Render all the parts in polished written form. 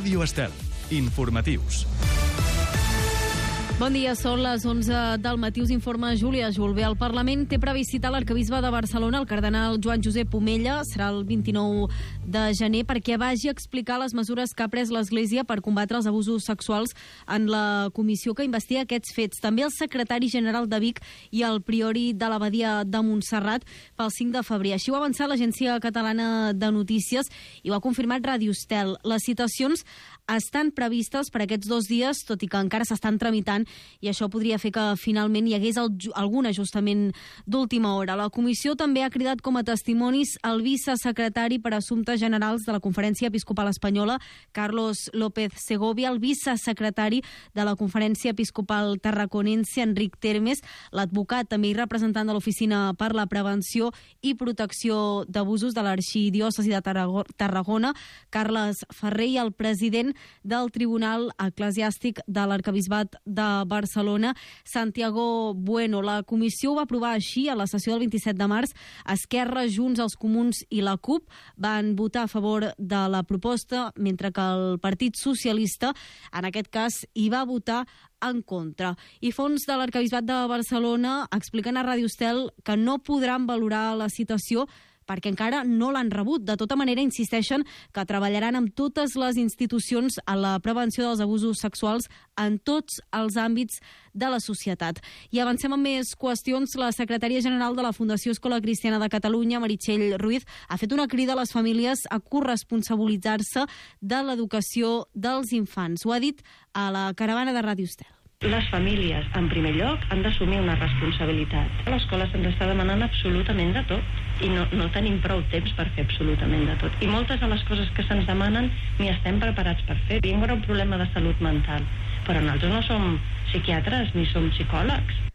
Ràdio Estel. Informatius. Bon dia, són les 11 del matí. Us informa Júlia Julve. El Parlament té previst citar l'arquebisbe de Barcelona, el cardenal Joan Josep Omella. Serà el 29 de gener perquè vagi a explicar les mesures que ha pres l'Església per combatre els abusos sexuals en la comissió que investiga aquests fets. També el secretari general de Vic i el priori de l'Abadia de Montserrat pel 5 de febrer. Així ho ha avançat l'Agència Catalana de Notícies i ho ha confirmat Ràdio Estel. Les citacions estan previstes per aquests 2 dies, tot i que encara s'estan tramitant, i això podria fer que finalment hi hagués algun ajustament d'última hora. La comissió també ha cridat com a testimonis el vicesecretari per Assumptes Generals de la Conferència Episcopal Espanyola, Carlos López Segovia, el vicesecretari de la Conferència Episcopal Tarraconense, Enric Termes, l'advocat també i representant de l'Oficina per la Prevenció i Protecció d'Abusos de l'Arxidiòcesi de Tarragona, Carles Ferrer, i el president del Tribunal Eclesiàstic de l'Arquebisbat de Barcelona, Santiago Bueno. La comissió ho va aprovar així a la sessió del 27 de març. Esquerra, Junts, els Comuns i la CUP van votar a favor de la proposta, mentre que el Partit Socialista, en aquest cas, hi va votar en contra. I fons de l'Arquebisbat de Barcelona expliquen a Ràdio Estel que no podran valorar la citació perquè encara no l'han rebut. De tota manera, insisteixen que treballaran amb totes les institucions a la prevenció dels abusos sexuals en tots els àmbits de la societat. I avancem amb més qüestions. La secretària general de la Fundació Escola Cristiana de Catalunya, Meritxell Ruiz, ha fet una crida a les famílies a corresponsabilitzar-se de l'educació dels infants. Ho ha dit a la caravana de Ràdio Estel. Les famílies, en primer lloc, han d'assumir una responsabilitat. A l'escola se'ns està demanant absolutament de tot i no tenim prou temps per fer absolutament de tot. I moltes de les coses que se'ns demanen ni estem preparats per fer. Tenim un problema de salut mental, però nosaltres no som psiquiatres ni som psicòlegs.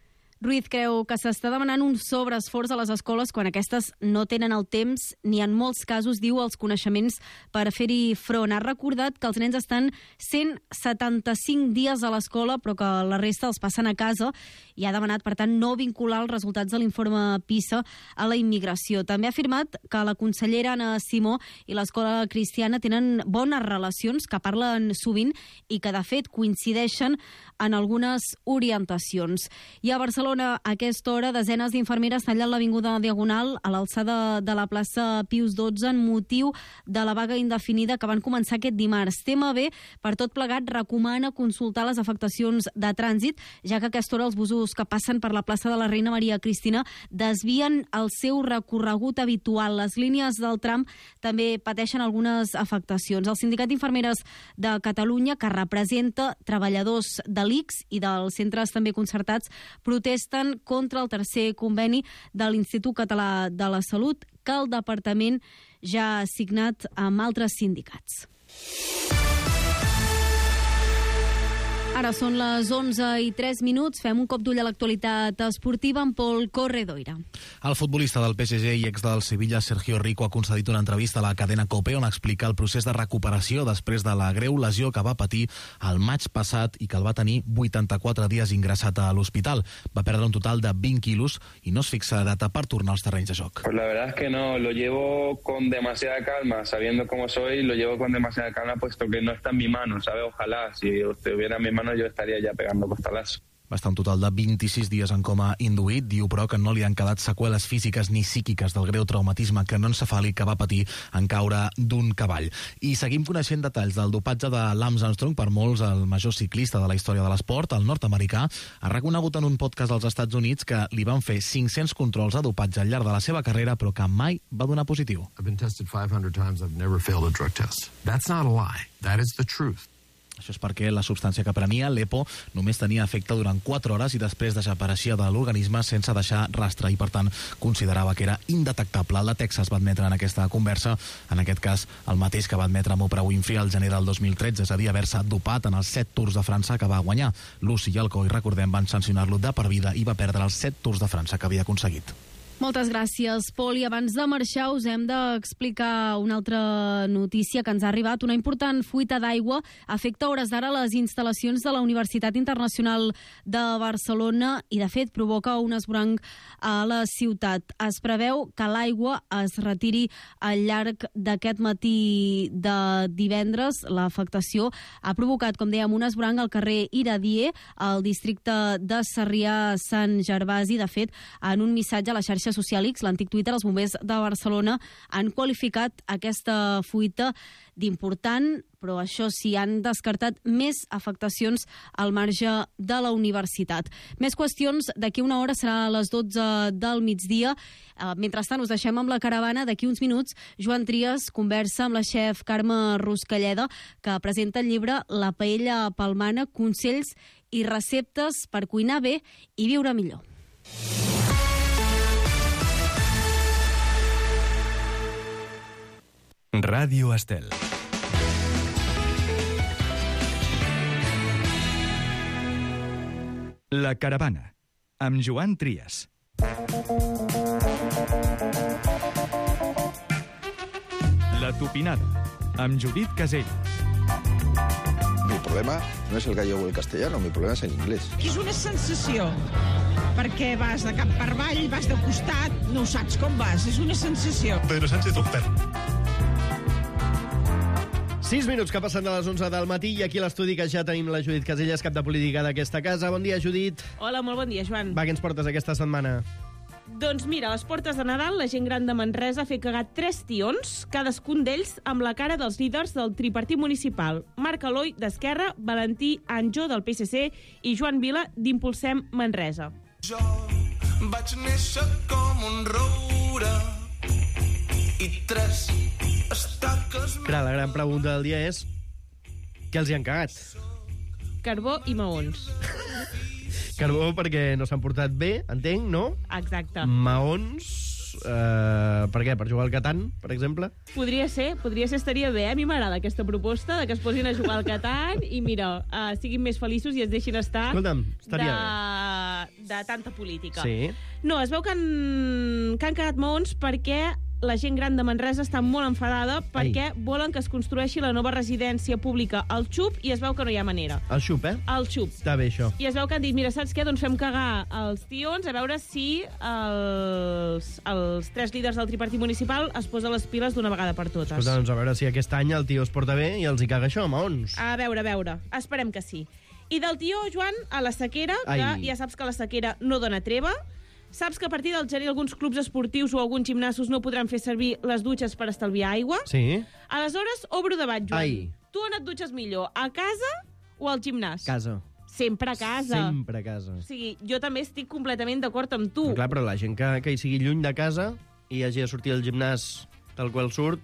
Ruiz creu que s'està demanant un sobreesforç a les escoles quan aquestes no tenen el temps ni en molts casos, diu, els coneixements per fer-hi front. Ha recordat que els nens estan 175 dies a l'escola però que la resta els passen a casa i ha demanat, per tant, no vincular els resultats de l'informe PISA a la immigració. També ha afirmat que la consellera Anna Simó i l'escola cristiana tenen bones relacions, que parlen sovint i que, de fet, coincideixen en algunes orientacions. I a Barcelona, a aquesta hora, desenes d'infermeres tallen l'avinguda Diagonal a l'alçada de la plaça Pius XII en motiu de la vaga indefinida que van començar aquest dimarts. TMB, per tot plegat, recomana consultar les afectacions de trànsit, ja que a aquesta hora els busos que passen per la plaça de la Reina Maria Cristina desvien el seu recorregut habitual. Les línies del tram també pateixen algunes afectacions. El Sindicat d'Infermeres de Catalunya, que representa treballadors de l'ICS i dels centres també concertats, protesten contra el tercer conveni de l'Institut Català de la Salut que el departament ja ha signat amb altres sindicats. Ara són les 11:03. Fem un cop d'ull a l'actualitat esportiva amb Pol Corredoira. El futbolista del PSG i ex del Sevilla, Sergio Rico, ha concedit una entrevista a la cadena COPE on explica el procés de recuperació després de la greu lesió que va patir el maig passat i que el va tenir 84 dies ingressat a l'hospital. Va perdre un total de 20 quilos i no es fixa data per tornar als terrenys de joc. Pues la verdad es que no, lo llevo con demasiada calma, sabiendo cómo soy, lo llevo con demasiada calma puesto que no está en mi mano, ¿sabe? Ojalá, si estuviera en mi mano yo estaría ya pegando costalazo. Va estar un total de 26 dies en coma induït. Diu, però, que no li han quedat seqüeles físiques ni psíquiques del greu traumatisme cranioencefàlic que va patir en caure d'un cavall. I seguim coneixent detalls del dopatge de Lance Armstrong, per molts el major ciclista de la història de l'esport. El nord-americà ha reconegut en un podcast als Estats Units que li van fer 500 controls de dopatge al llarg de la seva carrera, però que mai va donar positiu. I've been tested 500 times, I've never failed a drug test. That's not a lie, that is the truth. Això és perquè la substància que prenia, l'EPO, només tenia efecte durant 4 hores i després desapareixia de l'organisme sense deixar rastre i, per tant, considerava que era indetectable. La Texas va admetre en aquesta conversa, en aquest cas, el mateix que va admetre amb Oprah Winfrey al gener del 2013, és a dir, haver-se dopat en els 7 Tours de França que va guanyar. Lucy i el COI, recordem, van sancionar-lo de per vida i va perdre els 7 Tours de França que havia aconseguit. Moltes gràcies, Pol. I abans de marxar us hem d'explicar una altra notícia que ens ha arribat. Una important fuita d'aigua afecta a hores d'ara les instal·lacions de la Universitat Internacional de Barcelona i, de fet, provoca un esvoranc a la ciutat. Es preveu que l'aigua es retiri al llarg d'aquest matí de divendres. L'afectació ha provocat, com dèiem, un esvoranc al carrer Iradier, al districte de Sarrià-Sant Gervasi. De fet, en un missatge a la xarxa social X, l'antic Twitter, els bombers de Barcelona han qualificat aquesta fuita d'important, però això sí, han descartat més afectacions al marge de la universitat. Més qüestions, d'aquí una hora serà a les 12 del migdia. Mentrestant, us deixem amb la caravana. D'aquí uns minuts, Joan Trias conversa amb la xef Carme Ruscalleda, que presenta el llibre La paella palmana, consells i receptes per cuinar bé i viure millor. Ràdio Estel. La caravana, amb Joan Trias. La tupinada, amb Judit Casell. Mi problema no es el gallego o el castellano, mi problema es el inglés. És una sensació, perquè vas de cap per avall, vas de costat, no saps com vas, és una sensació. Pedro Sánchez un perro. 6 minuts que passen de les 11 del matí i aquí a l'estudi que ja tenim la Judit Caselles, cap de política d'aquesta casa. Bon dia, Judit. Hola, molt bon dia, Joan. Va, què ens portes aquesta setmana? Doncs mira, a les portes de Nadal, la gent gran de Manresa ha fet cagar 3 tions, cadascun d'ells amb la cara dels líders del tripartit municipal. Marc Aloi, d'Esquerra, Valentí Anjo, del PSC, i Joan Vila, d'Impulsem Manresa. Jo vaig néixer com un roure i 3 estaques... Clar, la gran pregunta del dia és què els hi han cagat? Carbó i maons. Carbó perquè no s'han portat bé, entenc, no? Exacte. Maons... per què? Per jugar al Catan, per exemple? Podria ser, estaria bé. A mi m'agrada aquesta proposta de que es posin a jugar al Catan i, mira, siguin més feliços i es deixin estar. Escolta'm, estaria de tanta política. Sí. No, es veu que han cagat maons perquè la gent gran de Manresa està molt enfadada perquè volen que es construeixi la nova residència pública al Xup i es veu que no hi ha manera. Al Xup, Al Xup. Està bé, això. I es veu que han dit, mira, saps què? Doncs fem cagar els tions a veure si els 3 líders del tripartit municipal es posen les piles d'una vegada per totes. Escolta, doncs a veure si aquest any el tio es porta bé i els hi caga això, maons. A veure. Esperem que sí. I del tio, Joan, a la sequera, que ja saps que la sequera no dona treva. Saps que a partir del gener alguns clubs esportius o alguns gimnasos no podran fer servir les dutxes per estalviar aigua? Sí. Aleshores, obro debat, Joan. Tu on et dutxes millor, a casa o al gimnàs? Casa. Sempre a casa. Sempre a casa. O sigui, jo també estic completament d'acord amb tu. Però clar, però la gent que hi sigui lluny de casa i hagi de sortir al gimnàs tal qual surt,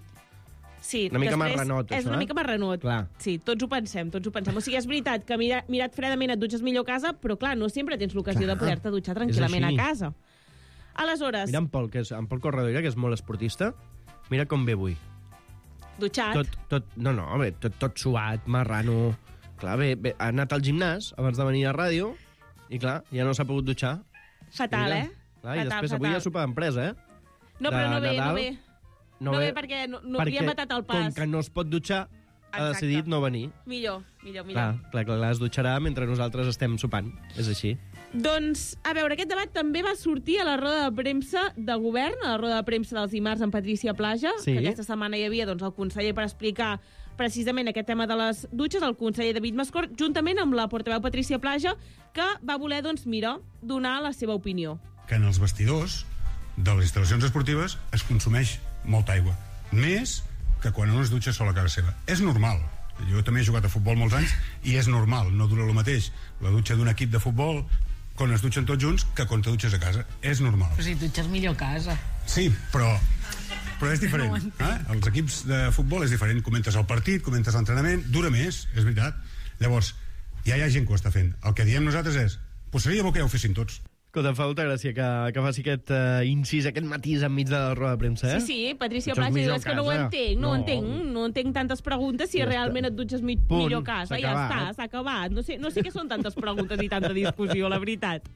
sí, una mica marranot, és una mica marranot. Clar. Sí, tots ho pensem. O sigui, és veritat que mirat fredament et dutxes millor a casa, però clar, no sempre tens l'ocasió de poder-te dutxar tranquil·lament a casa. Aleshores... Mira en Pol Corredora, que és molt esportista, mira com ve avui. Dutxat. Tot suat, marrano. Clar, bé, ha anat al gimnàs abans de venir a ràdio i clar, ja no s'ha pogut dutxar. Fatal, mira. Clar, i després avui ja sopar d'empresa, No, però no ve. No ve perquè li ha matat el pas. Com que no es pot dutxar, ha decidit no venir. Millor. Clar, es dutxarà mentre nosaltres estem sopant. És així. Doncs, a veure, aquest debat també va sortir a la roda de premsa de govern, a la roda de premsa dels dimarts amb Patrícia Plaja, que aquesta setmana hi havia el conseller per explicar precisament aquest tema de les dutxes, el conseller David Mascort, juntament amb la portaveu Patrícia Plaja, que va voler, donar la seva opinió. Que en els vestidors de les instal·lacions esportives es consumeix molta aigua. Més que quan uno es dutxa sola a casa seva. És normal. Jo també he jugat a futbol molts anys i és normal, no dura el mateix la dutxa d'un equip de futbol quan es dutxen tots junts que quan te dutxes a casa. És normal. Però si dutxes millor a casa. Sí, però és diferent. Els equips de futbol és diferent. Comentes el partit, comentes l'entrenament, dura més, és veritat. Llavors, ja hi ha gent que ho està fent. El que diem nosaltres és, pues seria bo que ja ho fessin tots. Escolta, em fa molta gràcia que faci aquest incís, aquest matís enmig de la roda de premsa, Sí, Patrícia Plaja diu, és que no ho entenc, no entenc tantes preguntes si realment et dutxes millor a casa. Ja està, s'ha acabat. No sé què són tantes preguntes i tanta discussió, la veritat.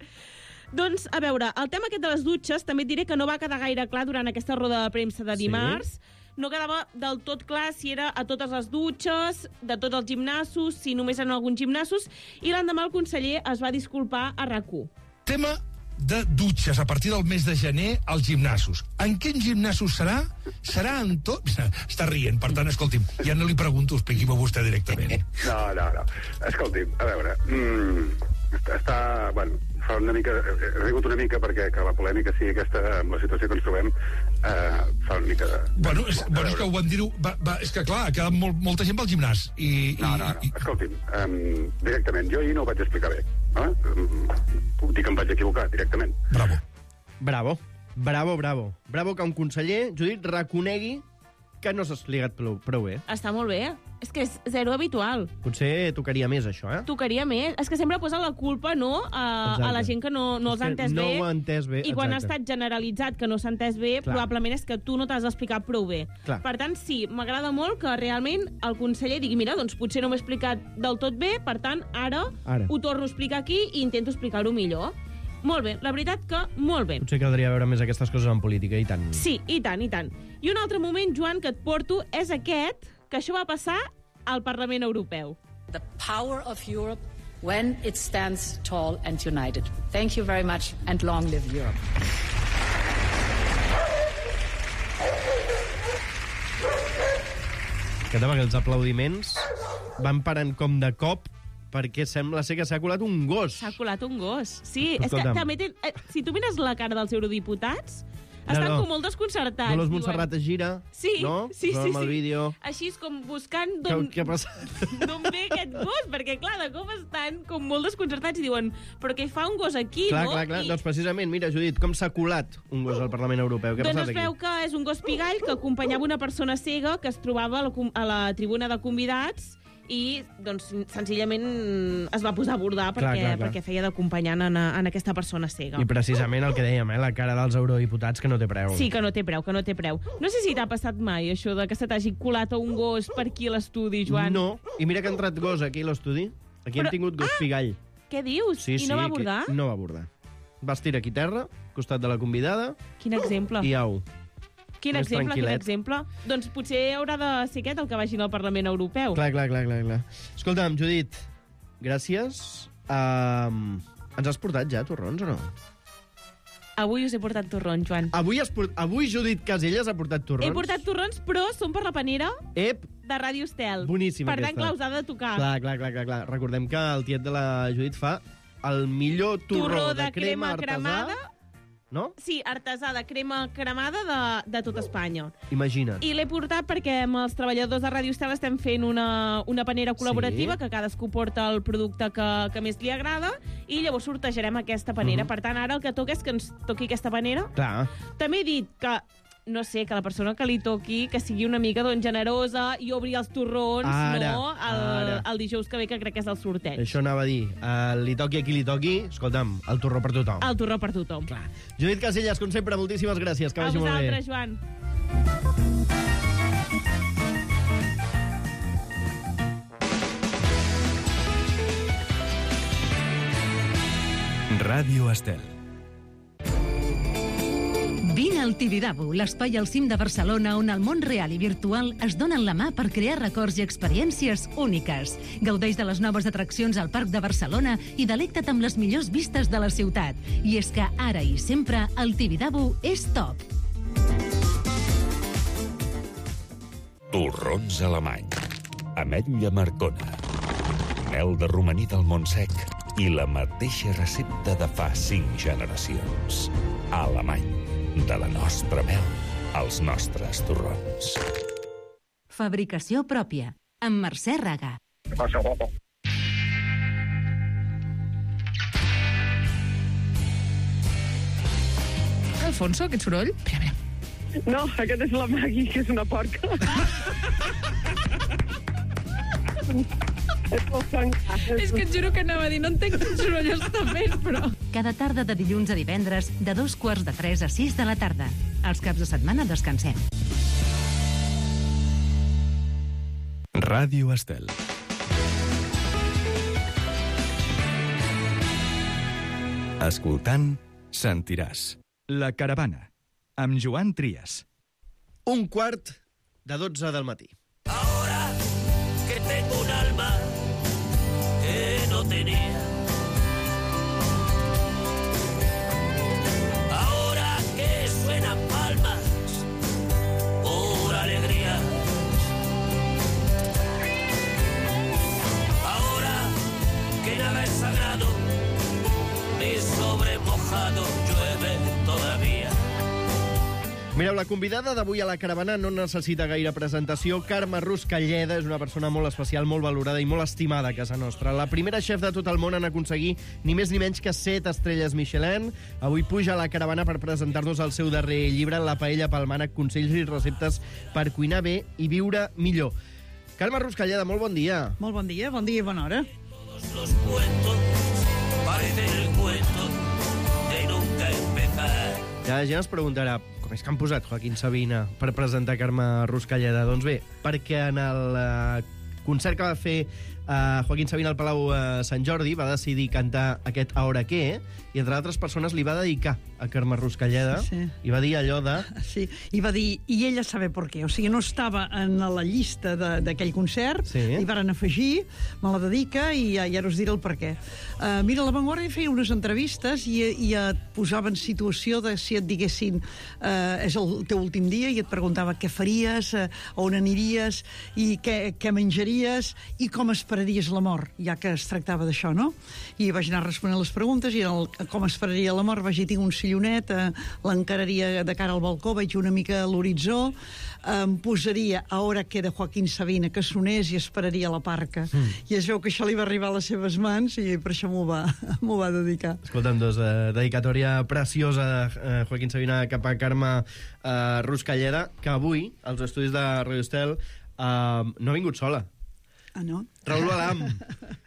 Doncs, a veure, el tema aquest de les dutxes també et diré que no va quedar gaire clar durant aquesta roda de premsa de dimarts. No quedava del tot clar si era a totes les dutxes, de tots els gimnasos, si només en alguns gimnasos, i l'endemà el conseller es va disculpar a RAC1. Tema de dutxes a partir del mes de gener als gimnasos. En quins gimnasos serà? Serà en tot? Està rient, per tant, escolti'm, ja no li pregunto, expliqui-m'ho vostè directament. No. Escolti'm, a veure, bueno, fa una mica, he rigut una mica perquè que la polèmica sigui aquesta, amb la situació que ens trobem, fa una mica de... Bueno, és que ho van dir-ho... És que, clar, ha quedat molta gent pel gimnàs. No. Escolti'm, directament, jo ahir no ho vaig explicar bé. Puc dir que em vaig equivocar, directament. Bravo que un conseller, Judit, reconegui que no s'ha explicat prou bé. Està molt bé. És que és zero habitual. Potser tocaria més, això, Tocaria més. És que sempre posa la culpa, no?, a la gent que no els ha entès bé. No ho ha entès bé, I quan ha estat generalitzat que no s'ha entès bé, probablement és que tu no t'has explicat prou bé. Clar. Per tant, sí, m'agrada molt que realment el conseller digui, mira, doncs potser no m'he explicat del tot bé, per tant, ara ho torno a explicar aquí i intento explicar-ho millor. Molt bé, la veritat que molt bé. Potser caldria veure més aquestes coses en política, i tant. Sí, i tant. I un altre moment, Joan, que et porto és aquest, que això va passar al Parlament Europeu. The power of Europe when it stands tall and united. Thank you very much and long live Europe. Els aplaudiments van parant com de cop perquè sembla ser que s'ha colat un gos. S'ha colat un gos, sí. És que també si tu mires la cara dels eurodiputats, estan com molt desconcertats. Dolors Montserrat es gira, no? Sí. Amb el vídeo. Així és com buscant d'on ve aquest gos, perquè, clar, de cop estan com molt desconcertats i diuen, però què fa un gos aquí, no? Clar. Doncs precisament, mira, Judit, com s'ha colat un gos al Parlament Europeu? Què ha passat aquí? Doncs es veu que és un gos pigall que acompanyava una persona cega que es trobava a la tribuna de convidats i, doncs, senzillament es va posar a bordar perquè feia d'acompanyant en aquesta persona cega. I precisament el que dèiem, la cara dels eurodiputats que no té preu. Sí, que no té preu. No sé si t'ha passat mai, això de que se t'hagi colat un gos per aquí a l'estudi, Joan. No, i mira que ha entrat gos aquí a l'estudi. Aquí hem tingut gos pigall. Què dius? Sí, I no va abordar? No va abordar. Va estirar aquí terra, al costat de la convidada. Quin exemple. I au. Quin exemple. Doncs potser haurà de ser aquest el que vagi al Parlament Europeu. Clar. Escolta'm, Judit, gràcies. Ens has portat ja torrons o no? Avui us he portat torrons, Joan. Avui Judit Caselles ha portat torrons? He portat torrons, però són per la panera de Ràdio Estel. Boníssima aquesta. Per tant, clar, us ha de tocar. Clar. Recordem que el tiet de la Judit fa el millor torró de crema cremada. No? Sí, artesà de crema cremada de tot Espanya. Imagina't. I l'he portat perquè amb els treballadors de Ràdio Estel estem fent una panera col·laborativa que cadascú porta el producte que més li agrada i llavors sortejarem aquesta panera. Per tant, ara el que toca és que ens toqui aquesta panera. Clar. També he dit que no sé, que la persona que li toqui que sigui una mica generosa i obri els torrons el dijous que ve, que crec que és el sorteig. Això anava a dir. Li toqui a qui li toqui, escolta'm, el torró per tothom. El torró per tothom. Clar. Judit Caselles, com sempre, moltíssimes gràcies. Que vagi molt bé. A vosaltres, Joan. Ràdio Estel. Vine al Tibidabo, l'espai al cim de Barcelona on el món real i virtual es donen la mà per crear records i experiències úniques. Gaudeix de les noves atraccions al Parc de Barcelona i delecta't amb les millors vistes de la ciutat. I és que ara i sempre el Tibidabo és top. Torrons alemany, ametlla marcona, mel de romaní del Montsec i la mateixa recepta de fa 5 generacions. Alemany. De la nostra mel als nostres torrons. Fabricació pròpia, amb Mercè Raga. Què passa, guapo? Alfonso, aquest soroll? Espera. No, aquest és la Magui, que és una porca. És que et juro que anava a dir, no entenc quin soroll està fent, però... Cada tarda de dilluns a divendres, de 2:45 a 6 de la tarda. Els caps de setmana descansem. Ràdio Estel. Escoltant, sentiràs. La Caravana, amb Joan Trias. 11:45 del matí. Ahora que tengo un alma que no tenía. Ahora que suenan palmas por alegría. Ahora que nada es sagrado, ni sobre mojado llueve todavía. Mireu, la convidada d'avui a la caravana no necessita gaire presentació. Carme Ruscalleda és una persona molt especial, molt valorada i molt estimada a casa nostra. La primera xef de tot el món en aconseguir ni més ni menys que 7 estrelles Michelin. Avui puja a la caravana per presentar-nos el seu darrer llibre, La paella pel mànec, consells i receptes per cuinar bé i viure millor. Carme Ruscalleda, molt bon dia. Molt bon dia i bona hora. Los cuentos parecen el cuento de nunca empezar. Ja la gent es preguntarà com és que han posat Joaquín Sabina per presentar Carme Ruscalleda. Doncs bé, perquè en el concert que va fer Joaquín Sabina al Palau Sant Jordi va decidir cantar aquest Ahora qué, i entre altres persones li va dedicar a Carme Ruscalleda, i va dir allò de... Sí, i va dir, i ella sabe per què. O sigui, no estava en la llista d'aquell concert, i varen afegir, me la dedica, i ara us diré el per què. Mira, La Vanguardia feia unes entrevistes i et posava en situació de si et diguessin és el teu últim dia, i et preguntava què faries, on aniries, i què menjaries, i com esperaries la mort, ja que es tractava d'això, no? I vaig anar responent les preguntes, i com esperaria la mort vaig dir, tinc un sillonet, l'encararia de cara al balcó, veig una mica l'horitzó, em posaria Ahora qué de Joaquín Sabina, que sonés, i esperaria la parca. I es veu que això li va arribar a les seves mans, i per això m'ho va dedicar. Escolta'm, dedicatòria preciosa de Joaquín Sabina cap a Carme Ruscalleda, que avui, als estudis de Radio Estel, no ha vingut sola. Ah, no? Raül Balam.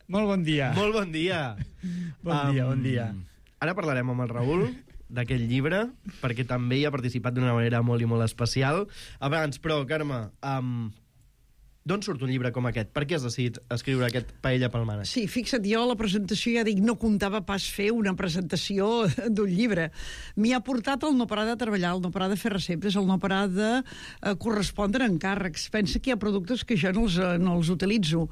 Molt bon dia. Molt bon dia. Bon dia. Ara parlarem amb el Raül d'aquest llibre, perquè també hi ha participat d'una manera molt i molt especial. Abans, però, Carme, d'on surt un llibre com aquest? Per què has decidit escriure aquest Paella pel mànec? Sí, fixa't, jo a la presentació ja dic, no comptava pas fer una presentació d'un llibre. M'hi ha portat el no parar de treballar, el no parar de fer receptes, el no parar de correspondre encàrrecs. Pensa que hi ha productes que jo no els utilitzo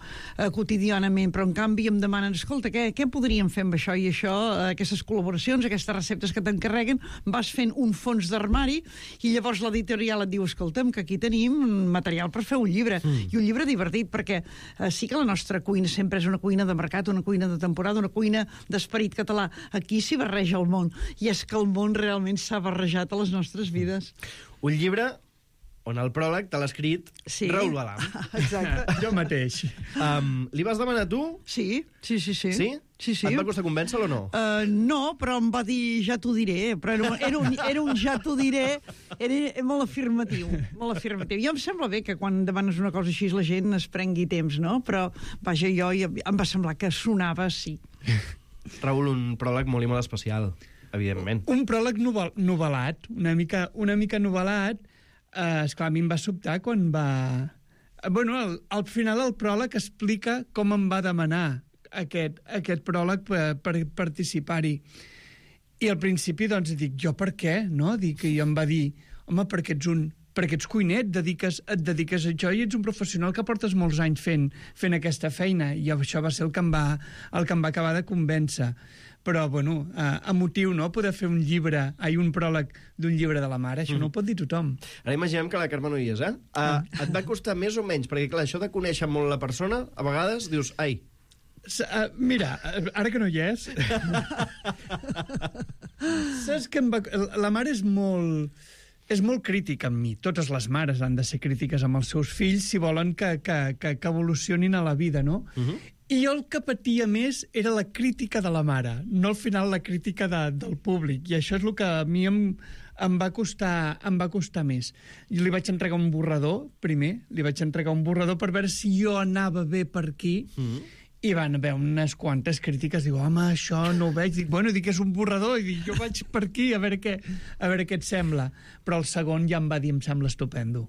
quotidianament, però en canvi em demanen, escolta, què podríem fer amb això i això, aquestes col·laboracions, aquestes receptes que t'encarreguen, vas fent un fons d'armari, i llavors l'editorial et diu, escolta'm, que aquí tenim material per fer un llibre. I un llibre divertit, perquè sí que la nostra cuina sempre és una cuina de mercat, una cuina de temporada, una cuina d'esperit català. Aquí s'hi barreja el món, i és que el món realment s'ha barrejat a les nostres vides. Un llibre on el pròleg te l'ha escrit Raül Balam. Exacte. Jo mateix. Li vas demanar tu? Sí. Sí? Sí. Et va costar convèncer-lo o no? No, però em va dir ja t'ho diré, però era un ja t'ho diré, era molt afirmatiu, molt afirmatiu. Jo em sembla bé que quan demanes una cosa així la gent es prengui temps, no? Però, vaja, em va semblar que sonava sí. Raül, un pròleg molt i molt especial, evidentment. Un pròleg novel·lat, una mica novel·lat. Esclar, a mi em va sobtar quan va... Bueno, al final el pròleg explica com em va demanar aquest pròleg per participar-hi. I al principi, doncs, dic, jo per què? No? I em va dir, home, perquè ets cuiner, et dediques a això i ets un professional que portes molts anys fent aquesta feina. I això va ser el que em va acabar de convèncer. Però, bueno, emotiu, no?, poder fer un pròleg d'un llibre de la mare, això no ho pot dir tothom. Ara imaginem que la Carme no hi és, et va costar més o menys? Perquè, clar, això de conèixer molt la persona, a vegades dius, ai... Mira, ara que no hi és... Saps que la mare és molt crítica amb mi. Totes les mares han de ser crítiques amb els seus fills si volen que evolucionin a la vida, no? I jo el que patia més era la crítica de la mare, no al final la crítica del públic. I això és el que a mi em va costar més. Jo li vaig entregar un borrador, primer, per veure si jo anava bé per aquí, i van haver unes quantes crítiques. Diu, home, això no ho veig. Dic, és un borrador, i dic, jo vaig per aquí a veure què et sembla. Però el segon ja em va dir, em sembla estupendo.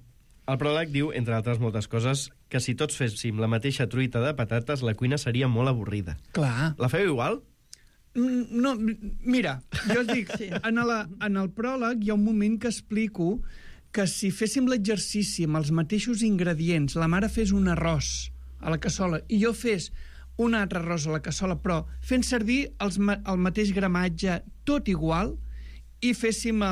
El pròleg diu, entre altres moltes coses, que si tots féssim la mateixa truita de patates, la cuina seria molt avorrida. Clar. La feu igual? No, mira, jo et dic, en el pròleg hi ha un moment que explico que si féssim l'exercici amb els mateixos ingredients, la mare fes un arròs a la cassola i jo fes un altre arròs a la cassola, però fent servir el mateix gramatge, tot igual, i féssim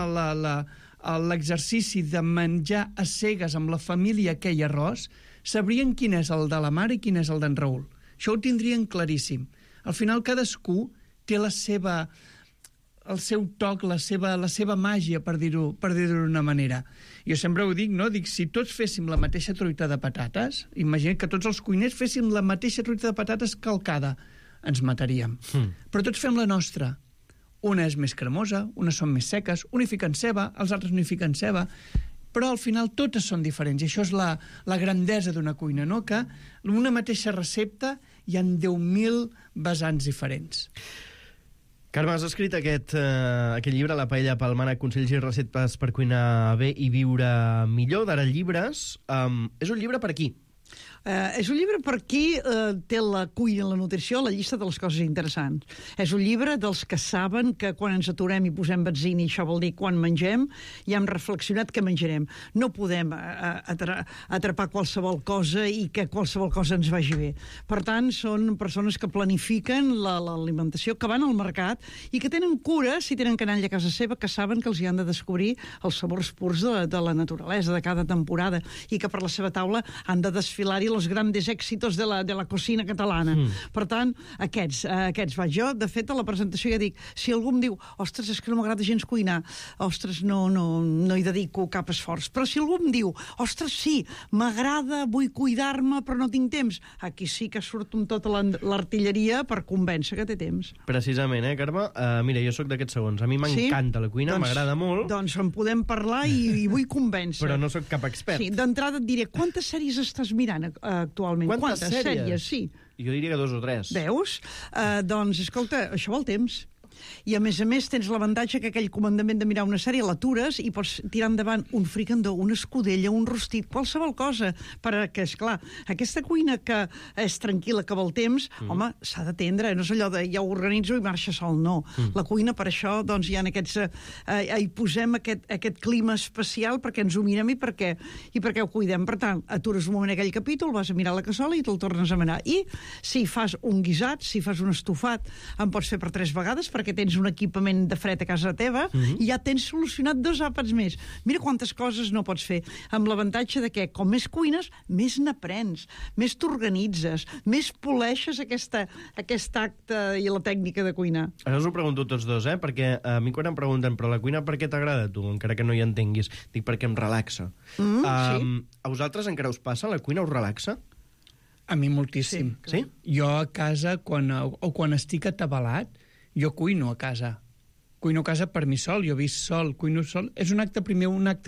l'exercici de menjar a cegues amb la família aquell arròs, sabrien quin és el de la mare i quin és el d'en Raül. Això ho tindrien claríssim. Al final cadascú té el seu toc, la seva màgia, per dir-ho d'una manera. Jo sempre ho dic, no? Dic, si tots féssim la mateixa truita de patates, imagina't que tots els cuiners féssim la mateixa truita de patates calcada, ens mataríem. Però tots fem la nostra. Una és més cremosa, unes són més seques, una hi fiquen ceba, els altres no hi fiquen ceba, però al final totes són diferents, i això és la grandesa d'una cuina, no? Que en una mateixa recepta hi ha 10.000 vessants diferents. Carme, has escrit aquest llibre, La paella palmana, consells i receptes per cuinar bé i viure millor, d'Ara Llibres. És un llibre per aquí? És un llibre per qui té la cuina i la nutrició, la llista de les coses interessants. És un llibre dels que saben que quan ens aturem i posem benzina, i això vol dir quan mengem, ja hem reflexionat què menjarem. No podem atrapar qualsevol cosa i que qualsevol cosa ens vagi bé. Per tant, són persones que planifiquen l'alimentació, que van al mercat i que tenen cura, si tenen canalla a casa seva, que saben que els hi han de descobrir els sabors purs de la naturalesa, de cada temporada, i que per la seva taula han de desfilar-hi els grandes èxitos de la cocina catalana. Per tant, aquests vaig jo. De fet, a la presentació ja dic, si algú em diu, ostres, és que no m'agrada gens cuinar, ostres, no hi dedico cap esforç. Però si algú em diu, ostres, sí, m'agrada, vull cuidar-me, però no tinc temps, aquí sí que surto amb tota l'artilleria per convèncer que té temps. Precisament, Carme? Mira, jo sóc d'aquests segons. A mi m'encanta la cuina, m'agrada molt. Doncs en podem parlar i vull convèncer. Però no sóc cap expert. Sí, d'entrada et diré, quantes sèries estàs mirant actualment? Quantes sèries? Sí. Jo diria que 2 o 3. Veus? Doncs, escolta, això vol temps. I a més tens l'avantatge que aquell comandament de mirar una sèrie l'atures i pots tirar endavant un fricandó, una escudella, un rostit, qualsevol cosa, perquè, esclar, aquesta cuina que és tranquil·la, que vol temps, home, s'ha d'atendre, no és allò de ja ho organitzo i marxa sol, no. La cuina, per això, doncs, hi ha aquests... hi posem aquest clima especial perquè ens ho mirem i perquè ho cuidem. Per tant, atures un moment aquell capítol, vas a mirar la cassola i te'l tornes a mirar. I si fas un guisat, si fas un estofat, en pots fer per 3 vegades, perquè tens un equipament de fred a casa teva i ja tens solucionat 2 àpats més. Mira quantes coses no pots fer, amb l'avantatge de que, com més cuines, més n'aprens, més t'organitzes, més poleixes aquest acte i la tècnica de cuinar. Ara us ho pregunto tots dos, perquè a mi quan em pregunten però la cuina per què t'agrada a tu, encara que no hi entenguis, dic perquè em relaxa. Sí. A vosaltres encara us passa? La cuina us relaxa? A mi moltíssim. Sí? Jo a casa, quan estic atabalat, jo cuino a casa. Cuino a casa per mi sol, jo visc sol, cuino sol. És un acte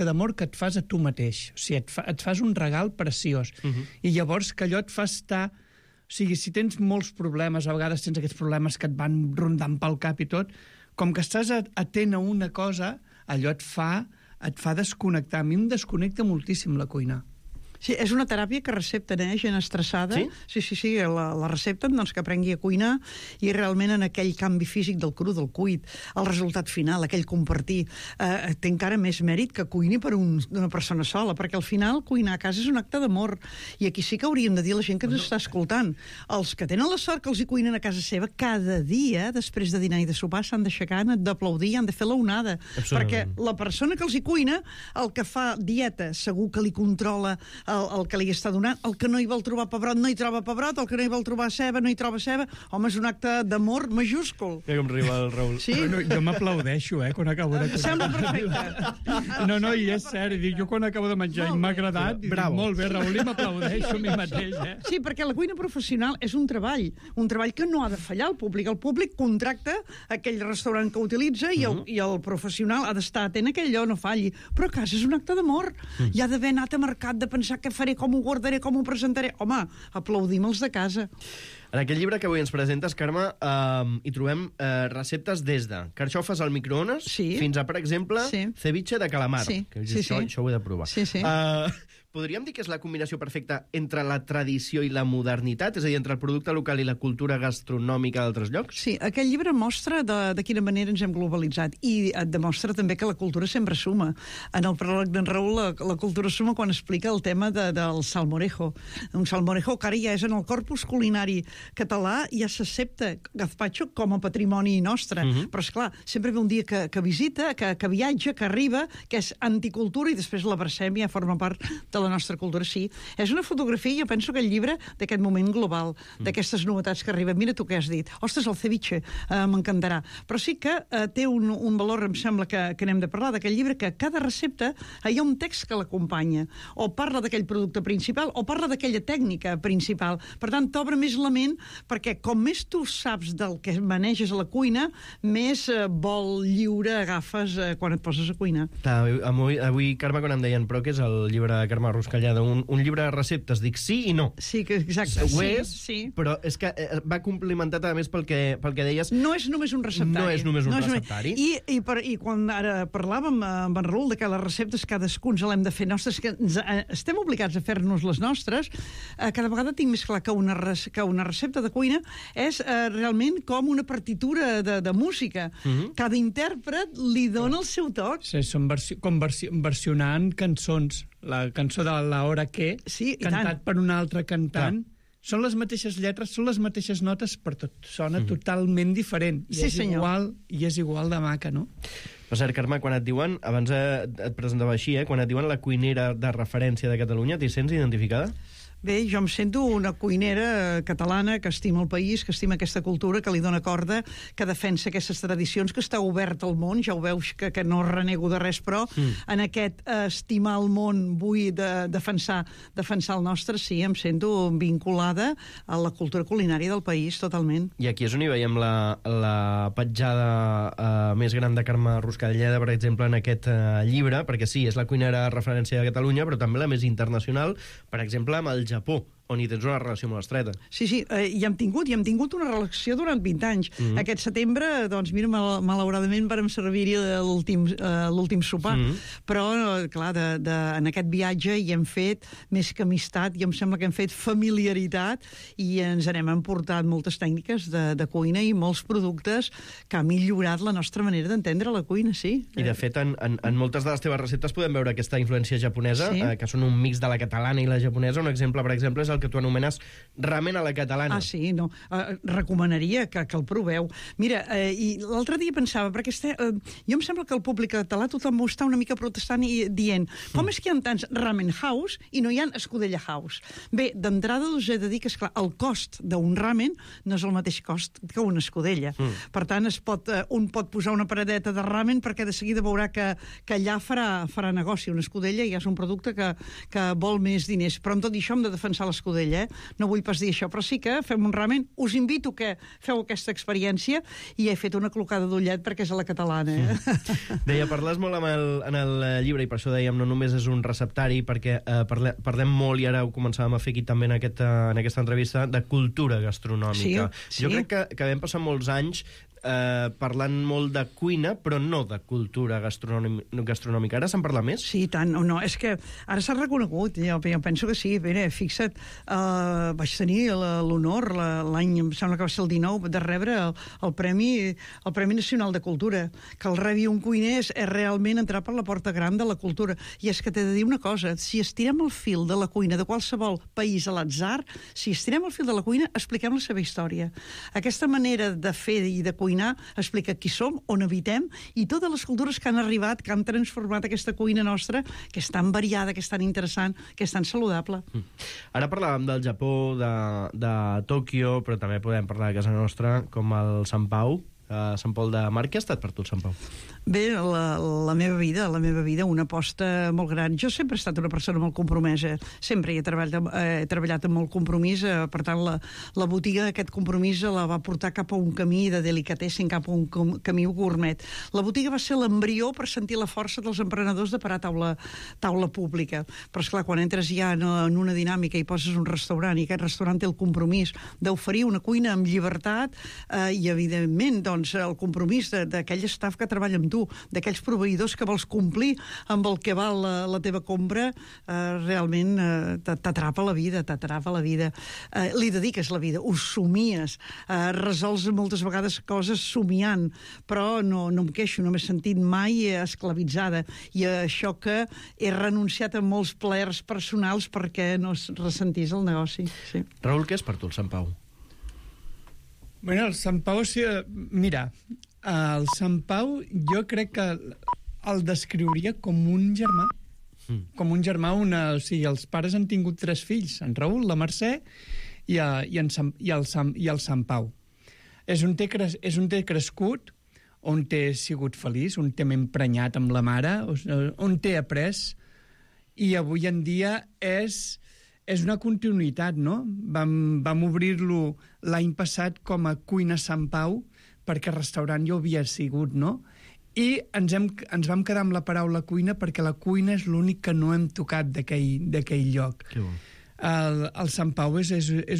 d'amor que et fas a tu mateix. O sigui, et fas un regal preciós. I llavors que allò et fa estar... O sigui, si tens molts problemes, a vegades tens aquests problemes que et van rondant pel cap i tot, com que estàs atent a una cosa, allò et fa desconnectar. A mi em desconnecta moltíssim la cuina. Sí, és una teràpia que recepten, gent estressada. Sí? Sí, la recepten, doncs, que aprengui a cuinar i realment en aquell canvi físic del cru, del cuit, el resultat final, aquell compartir, té encara més mèrit que cuini per una persona sola, perquè al final cuinar a casa és un acte d'amor. I aquí sí que hauríem de dir a la gent que ens està escoltant. Els que tenen la sort que els hi cuinen a casa seva, cada dia, després de dinar i de sopar, s'han d'aixecar, han d'aplaudir, han de fer l'onada. Perquè la persona que els hi cuina, el que fa dieta, segur que li controla el que li està donant, el que no hi vol trobar pebrot no hi troba pebrot, el que no hi vol trobar ceba no hi troba ceba. Home, és un acte d'amor majúscul. Mira com riu el Raül. Sí? Bueno, jo m'aplaudeixo, quan acabo de cuinar. Sembla perfecte. No, i és cert, jo quan acabo de menjar i m'ha agradat, dic, molt bé, Raül, i m'aplaudeixo a mi mateix. Sí, perquè la cuina professional és un treball que no ha de fallar al públic. El públic contracta aquell restaurant que utilitza i el professional ha d'estar atent a que allò no falli. Però a casa és un acte d'amor. Hi ha d'haver anat a mercat de pensar què faré, com ho guardaré, com ho presentaré. Home, aplaudim els de casa. En aquest llibre que avui ens presentes, Carme, hi trobem receptes des de carxofes al microones fins a, per exemple, ceviche de calamar. Això ho he de provar. Podríem dir que és la combinació perfecta entre la tradició i la modernitat? És a dir, entre el producte local i la cultura gastronòmica d'altres llocs? Sí, aquest llibre mostra de quina manera ens hem globalitzat i et demostra també que la cultura sempre suma. En el pròleg d'en Raül, la cultura suma quan explica el tema del salmorejo. Un salmorejo que ara ja és en el corpus culinari català, ja s'accepta gazpacho com a patrimoni nostre. Però, esclar, sempre ve un dia que visita, que viatja, que arriba, que és anticultura i després l'abracem i ja forma part de la nostra cultura. Sí, és una fotografia, jo penso que el llibre d'aquest moment global, d'aquestes novetats que arriben. Mira tu què has dit. Ostres, el ceviche, m'encantarà. Però sí que té un valor, em sembla que n'hem de parlar d'aquest llibre, que cada recepta hi ha un text que l'acompanya, o parla d'aquell producte principal, o parla d'aquella tècnica principal. Per tant, t'obre més la ment, perquè com més tu saps del que maneges a la cuina, més vol lliure agafes quan et poses a cuinar. Avui, Carme, quan em deien, però què és el llibre de Carme Ruscalleda? Un llibre de receptes. Dic sí i no. Sí, exacte. Ho és, però és que va complementat, a més, pel que deies... No és només un receptari. No és només un receptari. I quan ara parlàvem amb en Raül de que les receptes cadascú ens l'hem de fer nostres, que estem obligats a fer-nos les nostres, cada vegada tinc més clar que una recepta de cuina és realment com una partitura de música. Cada intèrpret li dona el seu toc. Sí, són com versionant cançons. La cançó de la hora que, cantat per un altre cantant. Són les mateixes lletres, són les mateixes notes, però tot sona totalment diferent. I és igual de maca, no? Per cert, Carme, quan et diuen, abans et presentava així, quan et diuen la cuinera de referència de Catalunya, t'hi sents identificada? Bé, jo em sento una cuinera catalana que estima el país, que estima aquesta cultura, que li dona corda, que defensa aquestes tradicions, que està obert al món. Ja ho veus que no renego de res, però en aquest estimar el món vull defensar el nostre, sí, em sento vinculada a la cultura culinària del país, totalment. I aquí és on hi veiem la petjada més gran de Carme Ruscalleda, per exemple, en aquest llibre, perquè sí, és la cuinera de referència de Catalunya, però també la més internacional, per exemple, amb el Japó, on hi tens una relació molt estreta. Sí, hi hem tingut una relació durant 20 anys. Aquest setembre, doncs mira, malauradament vàrem servir-hi l'últim sopar. Però, clar, en aquest viatge hi hem fet més que amistat, i em sembla que hem fet familiaritat, i ens n'hem emportat moltes tècniques de cuina i molts productes que han millorat la nostra manera d'entendre la cuina, sí. I, de fet, en moltes de les teves receptes podem veure aquesta influència japonesa, que són un mix de la catalana i la japonesa. Un exemple, per exemple, és el que tu anomenes ramen a la catalana. Ah, sí, no. Recomanaria que el proveu. Mira, i l'altre dia pensava, perquè jo em sembla que el públic català tothom està una mica protestant i dient, com és que hi ha tants ramen house i no hi ha escudella house? Bé, d'entrada us he de dir que, esclar, el cost d'un ramen no és el mateix cost que una escudella. Per tant, un pot posar una paradeta de ramen perquè de seguida veurà que allà farà negoci. Una escudella ja és un producte que vol més diners. Però amb tot això hem de defensar l'escudella, no vull pas dir això, però sí que fem un ramen. Us invito que feu aquesta experiència, i he fet una clocada d'ullet perquè és a la catalana. Deia, parles molt en el llibre, i per això dèiem, no només és un receptari, perquè parlem molt, i ara ho començàvem a fer aquí també en aquesta entrevista, de cultura gastronòmica. Jo crec que vam passar molts anys parlant molt de cuina, però no de cultura gastronòmica. Ara se'n parla més? Sí, tant. No, és que ara s'ha reconegut. Jo penso que sí. Mira, fixa't, vaig tenir l'honor l'any, em sembla que va ser el 19, de rebre el Premi Nacional de Cultura. Que el rebi un cuiner és realment entrar per la porta gran de la cultura. I és que t'he de dir una cosa, si estirem el fil de la cuina de qualsevol país a l'atzar, si estirem el fil de la cuina, expliquem la seva història. Aquesta manera de fer i de cuinar explica qui som, on habitem, i totes les cultures que han arribat, que han transformat aquesta cuina nostra, que és tan variada, que és tan interessant, que és tan saludable. Ara parlàvem del Japó, de Tòquio, però també podem parlar de casa nostra, com el Sant Pau, Sant Pol de Mar. Què ha estat per tu el Sant Pau? Bé, la meva vida, una aposta molt gran. Jo sempre he estat una persona molt compromesa, sempre he treballat amb molt compromís, per tant, la botiga d'aquest compromís la va portar cap a un camí de delicatessen, cap a un camí gourmet. La botiga va ser l'embrió per sentir la força dels emprenedors de parar taula pública. Però, esclar, quan entres ja en una dinàmica i poses un restaurant, i aquest restaurant té el compromís d'oferir una cuina amb llibertat i, evidentment, doncs, el compromís d'aquell staff que treballa amb tu, d'aquells proveïdors que vols complir amb el que val la teva compra, realment t'atrapa la vida. Li dediques la vida, ho somies, resols moltes vegades coses somiant, però no em queixo, no m'he sentit mai esclavitzada, i això que he renunciat a molts plaers personals perquè no es ressentís el negoci. Sí. Raül, què és per tu el Sant Pau? Bueno, el Sant Pau, mira, el Sant Pau jo crec que el descriuria com un germà. Com un germà, o sigui, els pares han tingut 3 fills, en Raül, la Mercè i el Sant Pau. És un té crescut, on té sigut feliç, on té emprenyat amb la mare, on té après, i avui en dia és una continuïtat, no? Vam obrir-lo l'any passat com a Cuina Sant Pau, perquè el restaurant ja ho havia sigut, no? I ens vam quedar amb la paraula cuina perquè la cuina és l'únic que no hem tocat d'aquell lloc. Que bo. El Sant Pau és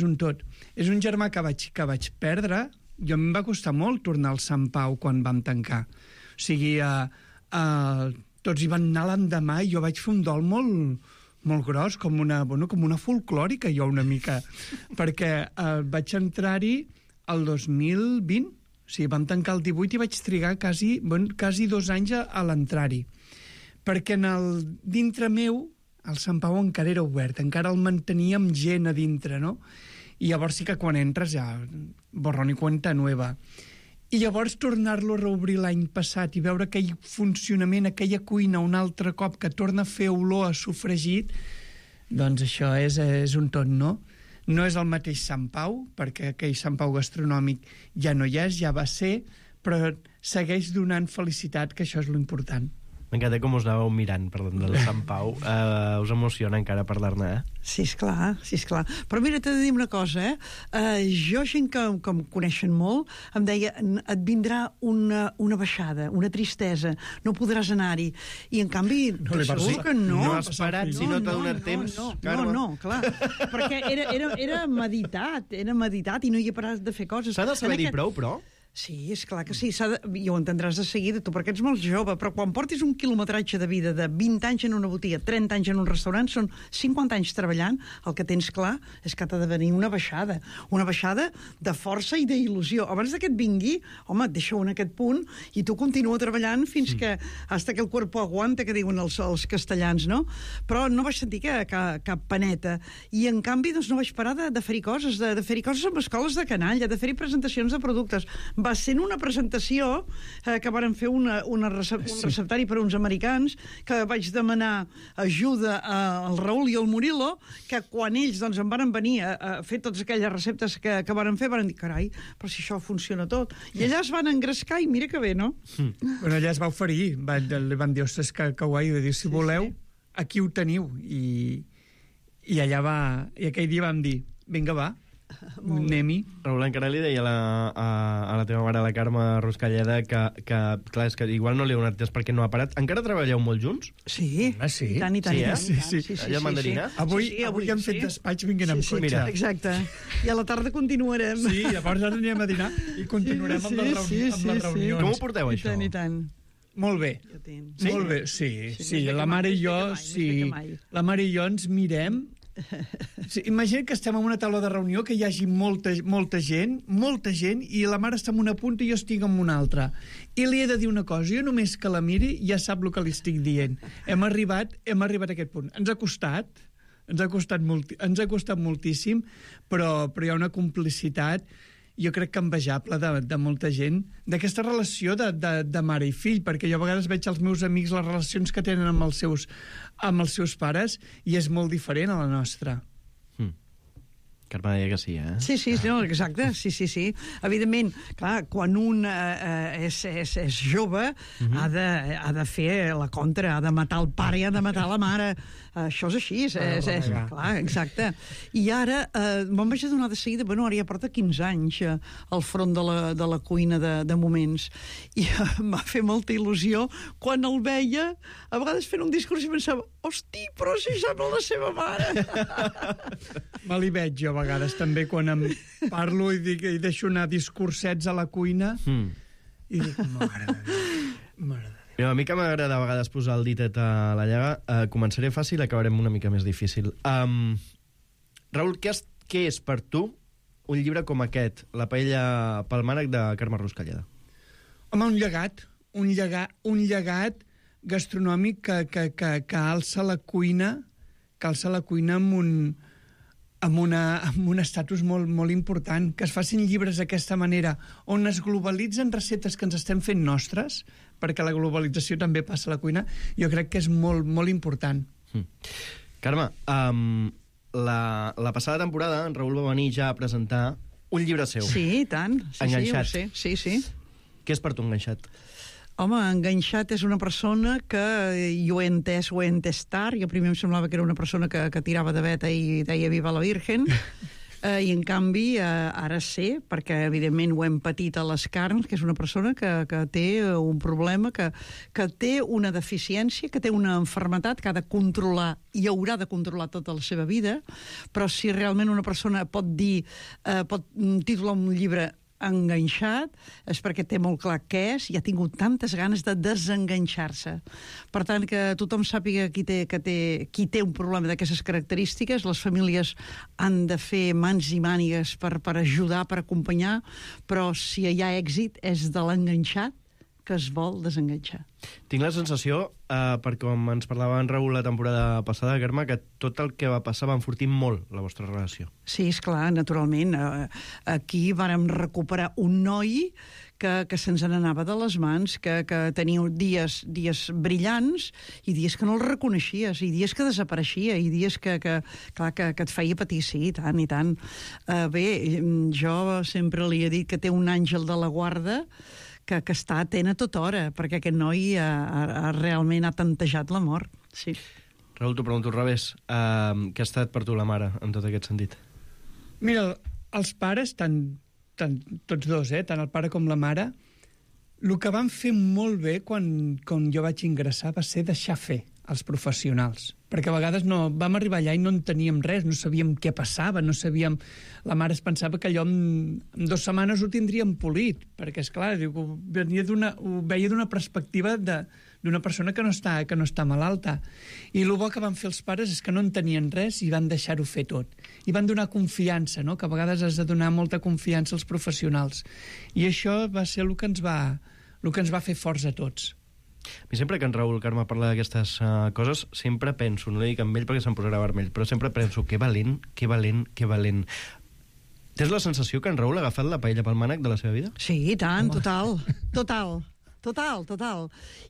un tot. És un germà que vaig perdre. Jo em va costar molt tornar al Sant Pau quan vam tancar. O sigui, tots hi van anar l'endemà i jo vaig fer un dol molt gros, com una folclòrica, jo una mica, perquè vaig entrar-hi el 2020, o sigui, vam tancar el 18 i vaig trigar quasi 2 anys a l'entrar-hi, perquè dintre meu el Sant Pau encara era obert, encara el manteníem gent a dintre, no? I llavors sí que quan entres ja borrón i cuenta nueva. I llavors tornar-lo a reobrir l'any passat i veure aquell funcionament, aquella cuina un altre cop que torna a fer olor a sofregit, doncs això és un tot, no? No és el mateix Sant Pau, perquè aquell Sant Pau gastronòmic ja no hi és, ja va ser, però segueix donant felicitat, que això és l'important. M'encanta com us anàveu mirant parlant del Sant Pau. Us emociona encara parlar-ne, Sí, esclar. Però mira, t'he de dir una cosa, jo, gent que em coneixen molt, em deia, et vindrà una baixada, una tristesa, no podràs anar-hi. I, en canvi, segur que no. No has parat, si no t'ha donat temps. No, clar. Perquè era meditat, i no hi he parat de fer coses. S'ha de saber-hi prou, però? Sí, és clar que sí, i ho entendràs de seguida tu, perquè ets molt jove, però quan portis un quilometratge de vida de 20 anys en una botiga, 30 anys en un restaurant, són 50 anys treballant, el que tens clar és que t'ha de venir una baixada de força i d'il·lusió. Abans que et vingui, home, et deixa en aquest punt i tu continua treballant fins que hasta que el cuerpo aguanta, que diuen els castellans, no? Però no vaig sentir cap paneta, i en canvi doncs, no vaig parar de fer-hi coses, de fer-hi coses amb escoles de canalla, de fer-hi presentacions de productes. Va ser en una presentació que varen fer un receptari per a uns americans, que vaig demanar ajuda al Raül i al Murilo, que quan ells doncs, em van venir a fer totes aquelles receptes que varen fer, van dir, carai, però si això funciona tot. I allà es van engrescar i mira que bé, no? Bueno, allà es va oferir, li van dir, ostres, que guai, va dir, si voleu, aquí ho teniu. I allà i aquell dia vam dir, vinga, va, anem-hi. Raül, encara li deia a la teva mare, la Carme Ruscalleda, que clar, és que igual no li ha donat temps perquè no ha parat. Encara treballeu molt junts? Sí. Sí. I tant. Sí. Allà a Mandarina? Avui hem fet despatx vinguent amb cotxe. Mira. Exacte. I a la tarda continuarem. Sí, llavors ara anirem a dinar i continuarem amb les reunions. Com ho porteu, això? I tant. Molt bé. Molt bé, sí. La mare i jo, la mare i jo ens mirem. Sí, imagina que estem en una taula de reunió, que hi hagi molta gent, i la mare està en una punta i jo estic en una altra. I li he de dir una cosa, jo només que la miri ja sap el que li estic dient. Hem arribat a aquest punt. Ens ha costat moltíssim, però hi ha una complicitat, jo crec que envejable, de molta gent, d'aquesta relació de mare i fill, perquè jo a vegades veig als meus amics les relacions que tenen amb els seus pares, i és molt diferent a la nostra. Carme deia que sí, eh? Sí, no, exacte, sí. Evidentment, clar, quan un és jove, ha de fer la contra, ha de matar el pare i ha de matar la mare. Això és així, clar, exacte. I ara me'n vaig adonar de seguida, ara ja porta 15 anys al front de la cuina de moments, i em va fer molta il·lusió quan el veia, a vegades fent un discurs i pensava, hosti, però si sembla la seva mare. Me li veig jo a vegades també quan em parlo i deixo anar discursets a la cuina i dic, mare de Déu. A mi que m'agrada a vegades posar el ditet a la llaga, començaré fàcil i acabarem una mica més difícil. Raül, què és per tu un llibre com aquest, La paella pel mànec, de Carme Ruscalleda? Home, un llegat gastronòmic que alça la cuina amb un estatus molt important, que es facin llibres d'aquesta manera, on es globalitzen receptes que ens estem fent nostres, perquè la globalització també passa a la cuina, jo crec que és molt important. Carme, la passada temporada en Raül va venir ja a presentar un llibre seu. Sí, i tant. Enganxat. Sí. Què és per tu Enganxat? Home, Enganxat és una persona que, jo ho he entès tard, jo primer em semblava que era una persona que tirava de veta i deia viva la Virgen, i en canvi ara sé, perquè evidentment ho hem patit a les carns, que és una persona que té un problema, que té una deficiència, que té una malaltia que ha de controlar i haurà de controlar tota la seva vida, però si realment una persona pot titular un llibre Enganxat, és perquè té molt clar què és i ha tingut tantes ganes de desenganxar-se. Per tant, que tothom sàpiga qui té un problema d'aquestes característiques, les famílies han de fer mans i mànigues per ajudar, per acompanyar, però si hi ha èxit és de l'enganxat que es vol desenganxar. Tinc la sensació, perquè com ens parlava en Raül la temporada passada, Carme, que tot el que va passar va enfortir molt la vostra relació. Sí, esclar, naturalment. Aquí vàrem recuperar un noi que se'ns n'anava de les mans, que tenia dies brillants i dies que no el reconeixies, i dies que desapareixia, i dies que et feia patir, sí, i tant. Bé, jo sempre li he dit que té un àngel de la guarda que està atent a tota hora, perquè aquest noi realment ha tantejat la mort. Sí. Raül, t'ho pregunto al revés. Què ha estat per tu la mare, en tot aquest sentit? Mira, els pares, tots dos, tant el pare com la mare, el que van fer molt bé quan jo vaig ingressar va ser deixar fer els professionals, perquè a vegades vam arribar allà i no en teníem res, no sabíem què passava, no sabíem... La mare es pensava que allò en 2 setmanes ho tindríem polit, perquè, esclar, ho veia d'una perspectiva d'una persona que no està malalta. I el bo que van fer els pares és que no en tenien res i van deixar-ho fer tot. I van donar confiança, no? Que a vegades has de donar molta confiança als professionals. I això va ser el que ens va fer forts a tots. A mi sempre que en Raül, Carme, parla d'aquestes coses, sempre penso, no li dic amb ell perquè se'm posarà vermell, però sempre penso, que valent. Tens la sensació que en Raül ha agafat la paella pel mànec de la seva vida? Sí, i tant, total.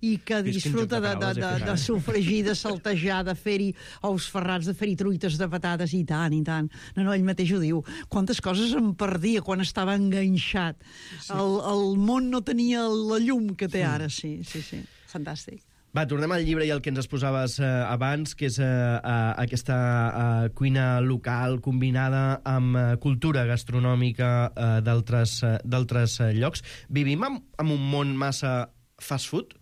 I que disfruta de sofregir, de saltejar, de fer-hi ous ferrats, de fer-hi truites de patates, i tant. No, ell mateix ho diu. Quantes coses em perdia quan estava enganxat. El món no tenia la llum que té ara, sí. Fantàstic. Va, tornem al llibre i el que ens exposaves abans, que és aquesta cuina local combinada amb cultura gastronòmica d'altres llocs. Vivim en un món massa fast food?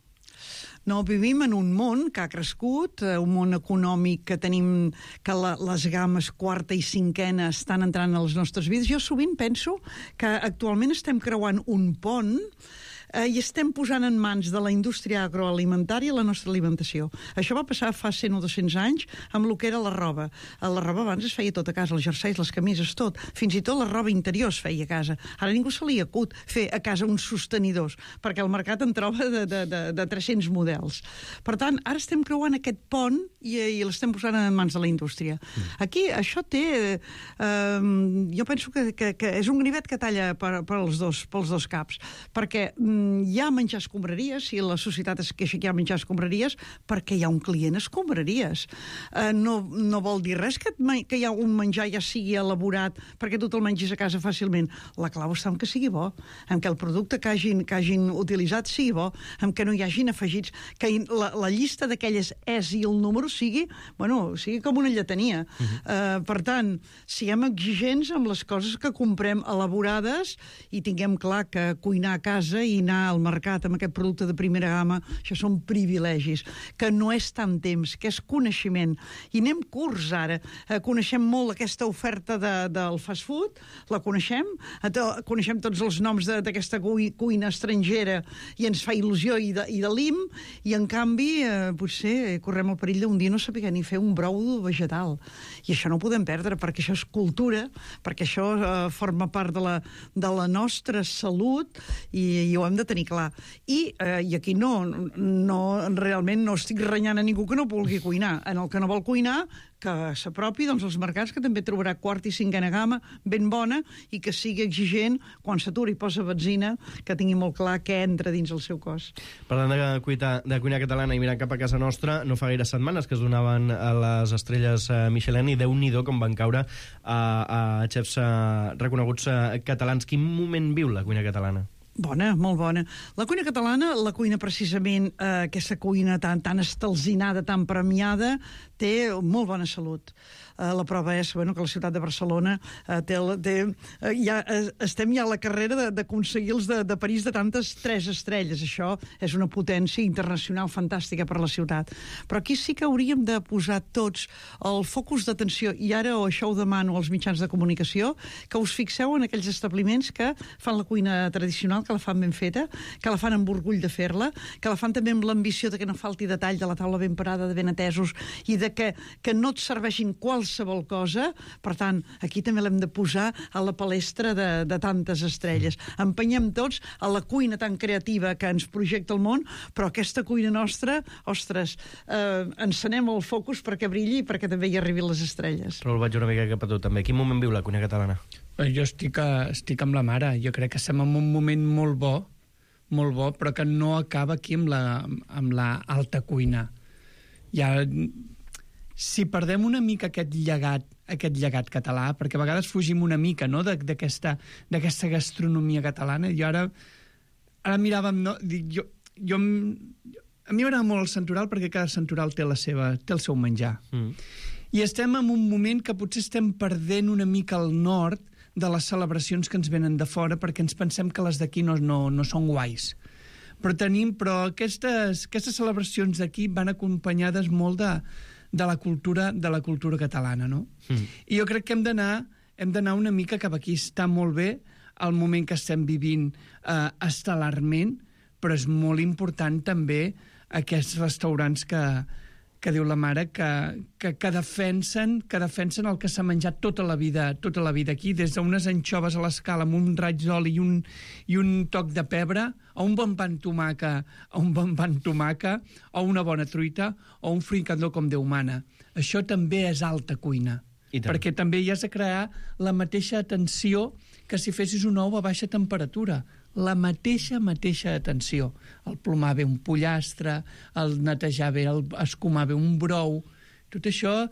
No, vivim en un món que ha crescut, un món econòmic que tenim, que les games quarta i cinquena estan entrant a les nostres vides. Jo sovint penso que actualment estem creuant un pont i estem posant en mans de la indústria agroalimentària la nostra alimentació. Això va passar fa 100 o 200 anys amb el que era la roba. La roba abans es feia tot a casa, els jerseis, les camises, tot. Fins i tot la roba interior es feia a casa. Ara ningú se li acut fer a casa uns sostenidors, perquè el mercat en troba de 300 models. Per tant, ara estem creuant aquest pont i l'estem posant en mans de la indústria. Aquí això té... jo penso que és un ganivet que talla pels dos caps, perquè hi ha menjar escombraries, si la societat es queixa que hi ha menjar escombraries, perquè hi ha un client escombraries. No vol dir res que hi ha un menjar ja sigui elaborat perquè tu te'l mengis a casa fàcilment. La clau està en que sigui bo, en que el producte que hagin utilitzat sigui bo, en que no hi hagin afegits, que la llista d'aquelles és i el número sigui com una lletania. Per tant, siguem exigents amb les coses que comprem elaborades i tinguem clar que cuinar a casa i anar al mercat amb aquest producte de primera gamma, això són privilegis, que no és tant temps, que és coneixement. I anem curts ara. Coneixem molt aquesta oferta del fast food, la coneixem tots els noms d'aquesta cuina estrangera i ens fa il·lusió i de lim, i en canvi potser correm el perill d'un dia no saber ni fer un brou vegetal. I això no ho podem perdre, perquè això és cultura, perquè això forma part de la nostra salut i ho hem de tenir clar. I aquí realment no estic renyant a ningú que no vulgui cuinar. En el que no vol cuinar, que s'apropi als mercats, que també trobarà quart i cinquena gamma ben bona i que sigui exigent quan s'atura i posa benzina, que tingui molt clar què entra dins el seu cos. Parlant de cuina catalana i mirant cap a casa nostra, no fa gaire setmanes que es donaven a les estrelles Michelin i Déu-n'hi-do com van caure a xefs reconeguts catalans. Quin moment viu la cuina catalana? Bona, molt bona. La cuina catalana, la cuina precisament, aquesta cuina tan estalzinada, tan premiada, té molt bona salut. La prova és que la ciutat de Barcelona estem ja a la carrera d'aconseguir els de París de tantes 3 estrelles. Això és una potència internacional fantàstica per la ciutat. Però aquí sí que hauríem de posar tots el focus d'atenció, i ara això ho demano als mitjans de comunicació, que us fixeu en aquells establiments que fan la cuina tradicional, que la fan ben feta, que la fan amb orgull de fer-la, que la fan també amb l'ambició de que no falti detall, de la taula ben parada, de ben atesos, i de que no et serveixin qualsevol cosa. Per tant, aquí també l'hem de posar a la palestra de tantes estrelles. Empenyem tots a la cuina tan creativa que ens projecta el món, però aquesta cuina nostra, ostres, encenem el focus perquè brilli i perquè també hi arribin les estrelles. Però el vaig una mica cap a tu també. Quin moment viu la cuina catalana? Jo estic amb la mare. Jo crec que estem en un moment molt bo, però que no acaba aquí amb la alta cuina. Si perdem una mica aquest llegat català, perquè a vegades fugim una mica d'aquesta gastronomia catalana, i ara miràvem... A mi m'agrada molt el santoral perquè cada santoral té el seu menjar. I estem en un moment que potser estem perdent una mica el nord de les celebracions que ens venen de fora, perquè ens pensem que les d'aquí no són guais. Però aquestes celebracions d'aquí van acompanyades molt de la cultura catalana, no? I jo crec que hem d'anar una mica cap aquí. Està molt bé el moment que estem vivint estel·larment, però és molt important també aquests restaurants que diu la mare, que defensen el que s'ha menjat tota la vida aquí, des d'unes anxoves a l'escala amb un raig d'oli i un toc de pebre, a un bon pa amb tomàquet, o una bona truita, o un fricandó com Déu mana. Això també és alta cuina, perquè també hi has de crear la mateixa atenció que si fessis un ou a baixa temperatura. La mateixa atenció. El plomar bé un pollastre, el netejar bé, el escumar bé un brou. Tot això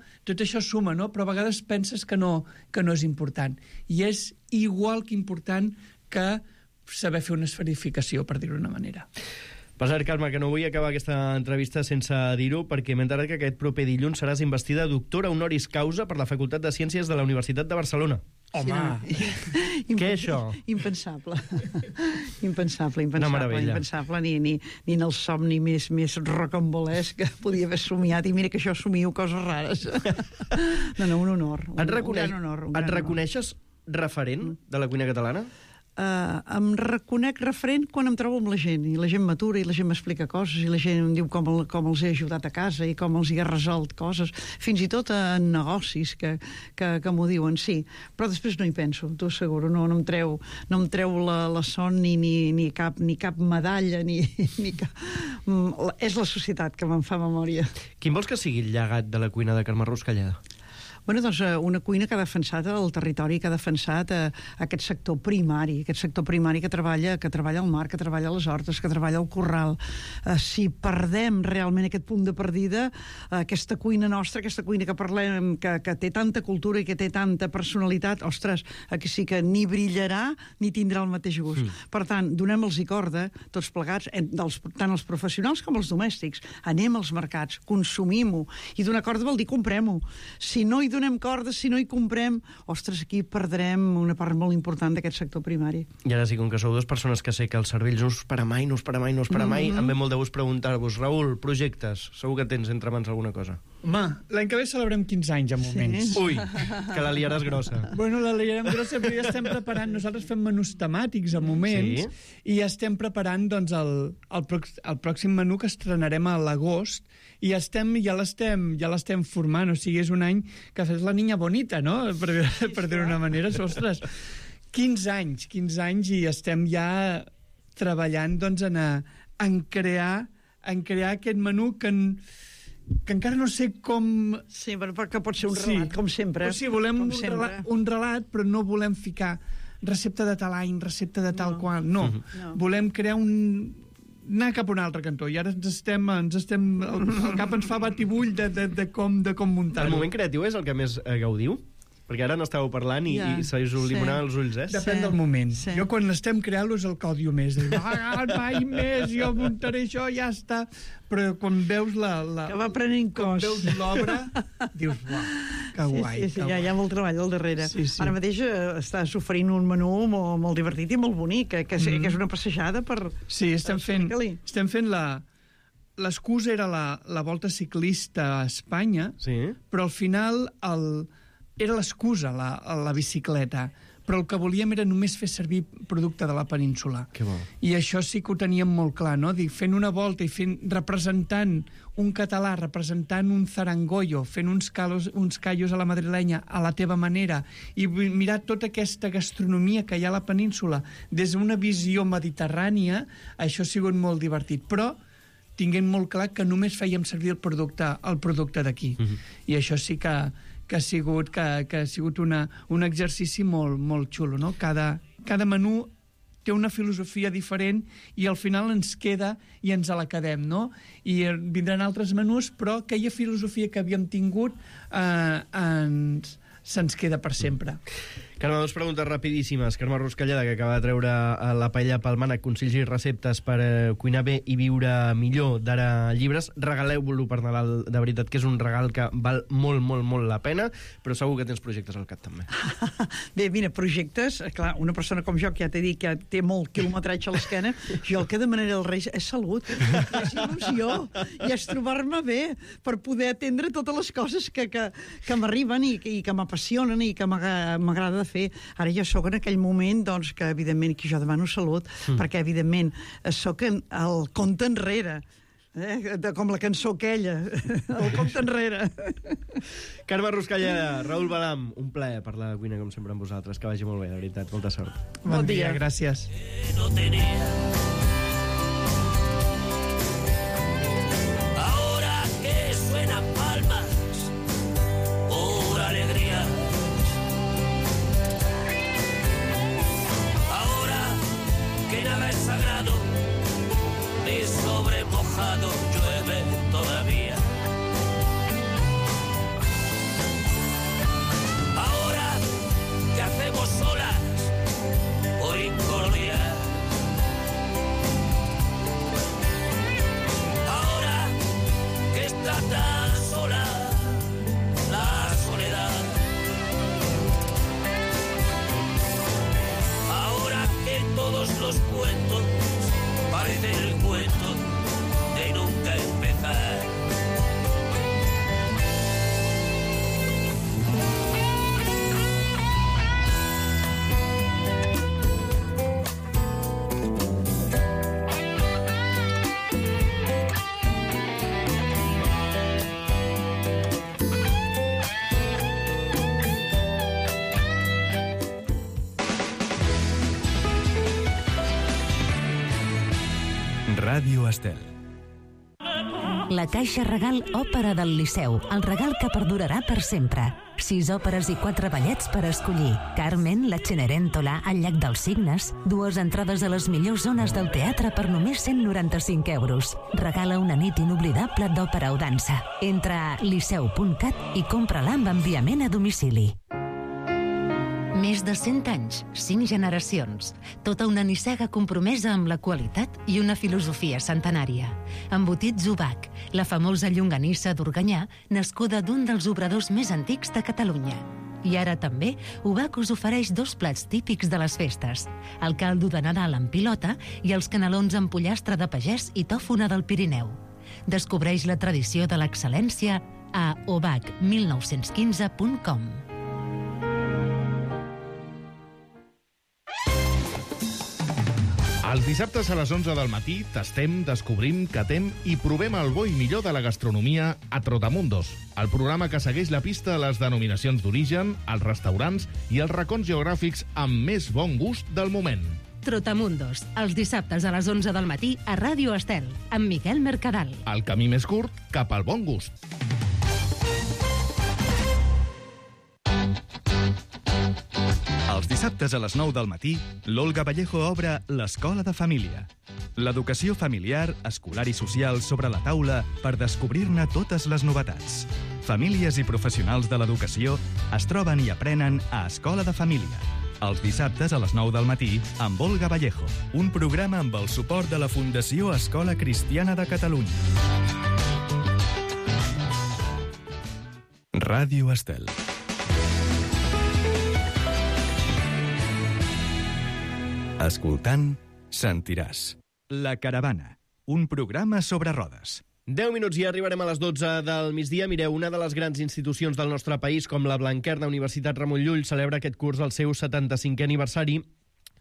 suma, no? Però a vegades penses que no és important. I és igual que important que saber fer una esferificació, per dir-ho d'una manera. Per cert, Carme, que no vull acabar aquesta entrevista sense dir-ho, perquè m'he enterat que aquest proper dilluns seràs investida doctora honoris causa per la Facultat de Ciències de la Universitat de Barcelona. Home! Què és això? Impensable. Impensable. Una meravella. Impensable, ni en el somni més rocambolesc que podia haver somiat. I mira que jo somio coses rares. No, un honor. Un gran honor. Et reconeixes referent de la cuina catalana? Em reconec referent quan em trobo amb la gent, i la gent m'atura, i la gent m'explica coses, i la gent em diu com els he ajudat a casa i com els hi he resolt coses, fins i tot en negocis que m'ho diuen, sí. Però després no hi penso, t'ho asseguro, no em treu la son ni cap medalla, ni cap... És la societat que me'n fa memòria. Quin vols que sigui el llegat de la cuina de Carme Ruscalleda? Bueno, doncs una cuina que ha defensat el territori, que ha defensat aquest sector primari que treballa al mar, que treballa a les hortes, que treballa al corral. Si perdem realment aquest punt de partida, aquesta cuina nostra, aquesta cuina que parlem, que té tanta cultura i que té tanta personalitat, ostres, aquí sí que ni brillarà ni tindrà el mateix gust. Per tant, donem-los-hi corda, tots plegats, tant els professionals com els domèstics. Anem als mercats, consumim-ho. I donar corda vol dir comprem-ho. Si no hi donem corda, si no hi comprem, ostres, aquí perdrem una part molt important d'aquest sector primari. I ara sí, com que sou dues persones que sé que el cervell no us para mai, em ve molt de gust preguntar-vos, Raül, projectes, segur que tens entre mans alguna cosa. Home, l'any que ve celebrem 15 anys a moments. Sí? Ui, que la liaràs grossa. Bueno, la liarem grossa, però ja estem preparant, nosaltres fem menús temàtics a moments, i ja estem preparant doncs, el pròxim menú que estrenarem a l'agost, i ja l'estem formant, o sigui, és un any que fes la niña bonita, no? Per dir-ho d'una manera, ostres, 15 anys i estem ja treballant doncs, en crear aquest menú que encara no sé com... Sí, perquè pot ser un relat, com sempre. Sí, volem un relat, però no volem ficar recepta de tal any, recepta de tal qual. No, volem crear anar cap a un altre cantó, i ara el cap ens fa batibull de com muntar-ho. El moment creatiu és el que més gaudiu? Perquè ara n'estàveu parlant i se us limonaven els ulls, eh? Depèn del moment. Jo quan l'estem creant-lo és el que odio més. Mai més, jo muntaré això, ja està. Però quan veus que va prenent cos. Quan veus l'obra, dius, uau, que guai. Sí, hi ha molt treball al darrere. Ara mateix estàs oferint un menú molt divertit i molt bonic, que és una passejada per... Sí, estem fent l'excusa era la volta ciclista a Espanya, però al final era l'excusa, la bicicleta, però el que volíem era només fer servir producte de la península. Que bo. I això sí que ho teníem molt clar, no? Fent una volta i representant un català, representant un zarangoyo, fent uns callos a la madrilenya a la teva manera, i mirar tota aquesta gastronomia que hi ha a la península des d'una visió mediterrània, això ha sigut molt divertit. Però tinguem molt clar que només fèiem servir el producte d'aquí. I això sí que ha sigut un exercici molt xulo, no? Cada menú té una filosofia diferent i al final ens queda i ens la quedem, no? I vindran altres menús, però aquella filosofia que havíem tingut se'ns queda per sempre. Carme, dues preguntes rapidíssimes. Carme Ruscalleda, que acaba de treure la paella Palmana, consells i receptes per cuinar bé i viure millor, d'ara llibres. Regaleu-lo per Nadal, de veritat, que és un regal que val molt, molt, molt la pena, però segur que tens projectes al cap, també. Bé, mira, projectes, clar, una persona com jo, que ja t'he dit que té molt quilometratge a l'esquena, jo el que demanaré als Reis és salut, és il·lusió, i és trobar-me bé per poder atendre totes les coses que m'arriben i que m'apassionen i que m'agrada fer. Ara jo sóc en aquell moment, doncs, que evidentment que jo demano salut, perquè evidentment sóc el compte enrere, com la cançó aquella, el compte enrere. Carme Ruscalleda, Raül Balam, un plaer parlar de cuina com sempre amb vosaltres, que vagi molt bé, de veritat, molta sort. Bon dia, gràcies. No tenía. Ahora que suenan palmas por alegría. Que nada es sagrado, ni sobre mojado llueve todavía. Ahora que hacemos solas por incordiar. Ahora que está tan sola la soledad. Ahora que todos los cuentos parecen el cuento de nunca empezar. Ràdio Estel. La Caixa Regal Òpera del Liceu, el regal que perdurarà per sempre. 6 òperes i 4 ballets per escollir. Carmen, la Cenerentola, el Llac dels Cignes. 2 entrades a les millors zones del teatre per només 195 euros. Regala una nit inoblidable d'òpera o dansa. Entra a liceu.cat i compra-la amb enviament a domicili. Més de 100 anys, 5 generacions. Tota una nissaga compromesa amb la qualitat i una filosofia centenària. Embotits Ubac, la famosa llonganissa d'Organyà, nascuda d'un dels obradors més antics de Catalunya. I ara també, Ubac us ofereix 2 plats típics de les festes. El caldo de Nadal amb pilota i els canelons amb pollastre de pagès i tòfona del Pirineu. Descobreix la tradició de l'excel·lència a obac1915.com. Els dissabtes a les 11 del matí tastem, descobrim, catem i provem el bo i millor de la gastronomia a Trotamundos, el programa que segueix la pista a les denominacions d'origen, els restaurants i els racons geogràfics amb més bon gust del moment. Trotamundos, els dissabtes a les 11 del matí a Ràdio Estel, amb Miquel Mercadal. El camí més curt cap al bon gust. Els dissabtes a les 9 del matí, l'Olga Vallejo obre l'Escola de Família. L'educació familiar, escolar i social sobre la taula per descobrir-ne totes les novetats. Famílies i professionals de l'educació es troben i aprenen a Escola de Família. Els dissabtes a les 9 del matí amb Olga Vallejo. Un programa amb el suport de la Fundació Escola Cristiana de Catalunya. Ràdio Estel. Escoltant, sentiràs. La Caravana, un programa sobre rodes. 10 minuts i arribarem a les 12 del migdia. Mireu, una de les grans institucions del nostre país, com la Blanquerna Universitat Ramon Llull, celebra aquest curs el seu 75è aniversari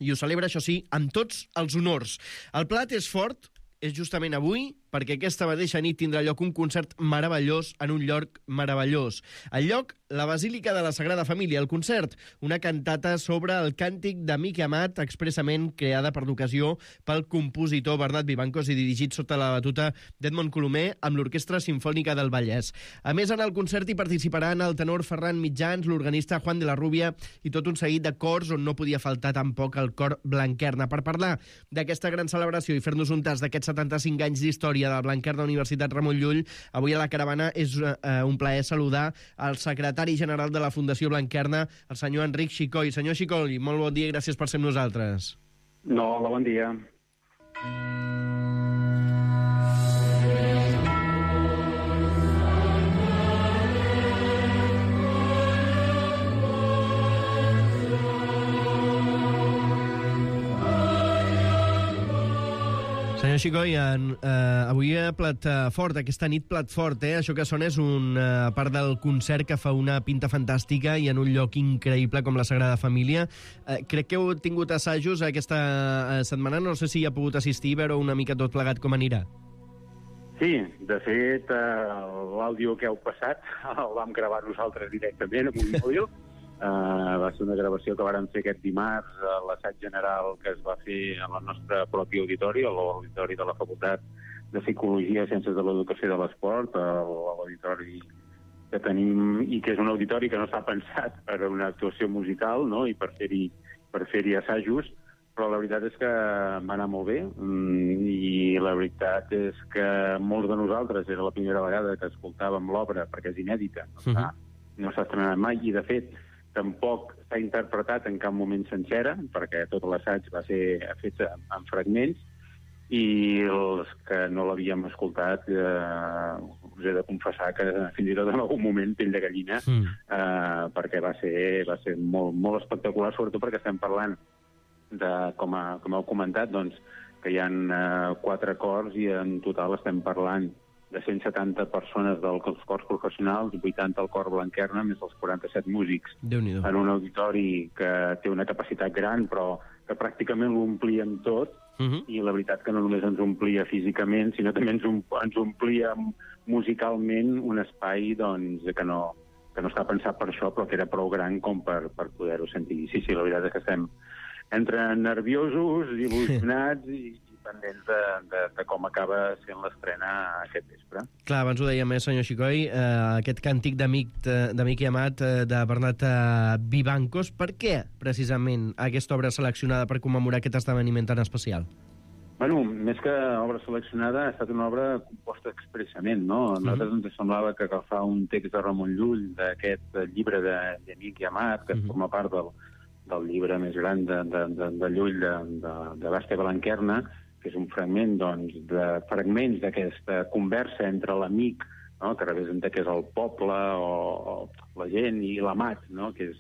i ho celebra, això sí, amb tots els honors. El plat és fort, és justament avui, perquè aquesta mateixa nit tindrà lloc un concert meravellós en un lloc meravellós. El lloc, la Basílica de la Sagrada Família. El concert, una cantata sobre el càntic de Miqui Amat, expressament creada per l'ocasió pel compositor Bernat Vivancos i dirigit sota la batuta d'Edmond Colomer amb l'Orquestra Simfònica del Vallès. A més, en el concert hi participaran el tenor Ferran Mitjans, l'organista Juan de la Rubia i tot un seguit de cors on no podia faltar tampoc el cor Blanquerna. Per parlar d'aquesta gran celebració i fer-nos un tas d'aquests 75 anys d'història de la Blanquerna Universitat Ramon Llull, avui a la Caravana és un plaer saludar el secretari general de la Fundació Blanquerna, el senyor Enric Xicoll. Senyor Xicoll, molt bon dia i gràcies per ser amb nosaltres. No, hola, bon dia. Senyor Xicoll, avui plat fort, aquesta nit plat fort, Això que sona és una part del concert que fa una pinta fantàstica i en un lloc increïble com la Sagrada Família. Crec que heu tingut assajos aquesta setmana, no sé si hi ha pogut assistir i veure una mica tot plegat com anirà. Sí, de fet, l'àudio que heu passat el vam gravar nosaltres directament amb un mòbil. Va ser una gravació que vàrem fer aquest dimarts a l'assaig general que es va fer a la nostra pròpia auditori, a l'auditori de la Facultat de Psicologia i Ciències de l'Educació i de l'Esport, l'auditori que tenim, i que és un auditori que no s'ha pensat per a una actuació musical, no?, i per fer-hi assajos, però la veritat és que va anar molt bé, i la veritat és que molts de nosaltres era la primera vegada que escoltàvem l'obra, perquè és inèdita, no s'ha estrenat mai, i de fet tampoc s'ha interpretat en cap moment sencera, perquè tot l'assaig va ser fet en fragments, i els que no l'havíem escoltat us he de confessar que fins i tot en algun moment pell de gallina, perquè va ser molt espectacular, sobretot perquè estem parlant de, com heu comentat, doncs, que hi ha 4 cors i en total estem parlant de 170 persones dels cors professionals, 80 al cor Blanquerna, més els 47 músics. Déu-n'hi-do. En un auditori que té una capacitat gran, però que pràcticament l'omplíem tot, i la veritat que no només ens omplia físicament, sinó també ens omplia musicalment un espai doncs, que no està pensat per això, però que era prou gran com per poder-ho sentir. Sí, la veritat és que estem entre nerviosos, il·lusionats i pendents de com acaba sent l'estrena aquest vespre. Clar, abans ho deia més, senyor Xicoi, aquest càntic d'Amic i Amat de Bernat Vivancos. Per què, precisament, aquesta obra seleccionada per commemorar aquest esdeveniment tan especial? Bueno, més que obra seleccionada, ha estat una obra composta expressament, no? A nosaltres ens semblava que agafar un text de Ramon Llull, d'aquest llibre d'Amic i Amat, que forma part del llibre més gran de Llull, de Basta Blanquerna, que és un fragment, doncs, de fragments d'aquesta conversa entre l'amic, no?, que representa que és el poble o la gent, i l'amat, no?, que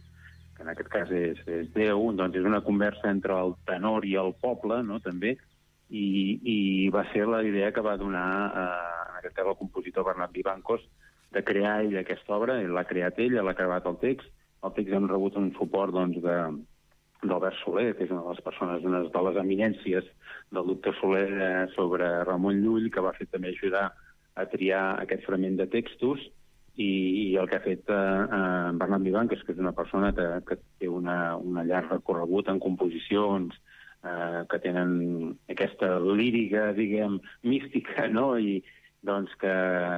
en aquest cas és Déu. Doncs és una conversa entre el tenor i el poble, no?, també, i va ser la idea que va donar, en aquest cas, el compositor Bernat Vivancos, de crear ell aquesta obra. Ell l'ha creat ell, l'ha acabat el text. El text hem rebut un suport, doncs, d'Albert Soler, que és una de les persones, una de les eminències del doctor Soler sobre Ramon Llull, que va fer també ajudar a triar aquest fragment de textos, i el que ha fet Bernat Vivancos, que és una persona que té una llarg recorregut en composicions, que tenen aquesta lírica, diguem, mística, no?, i doncs que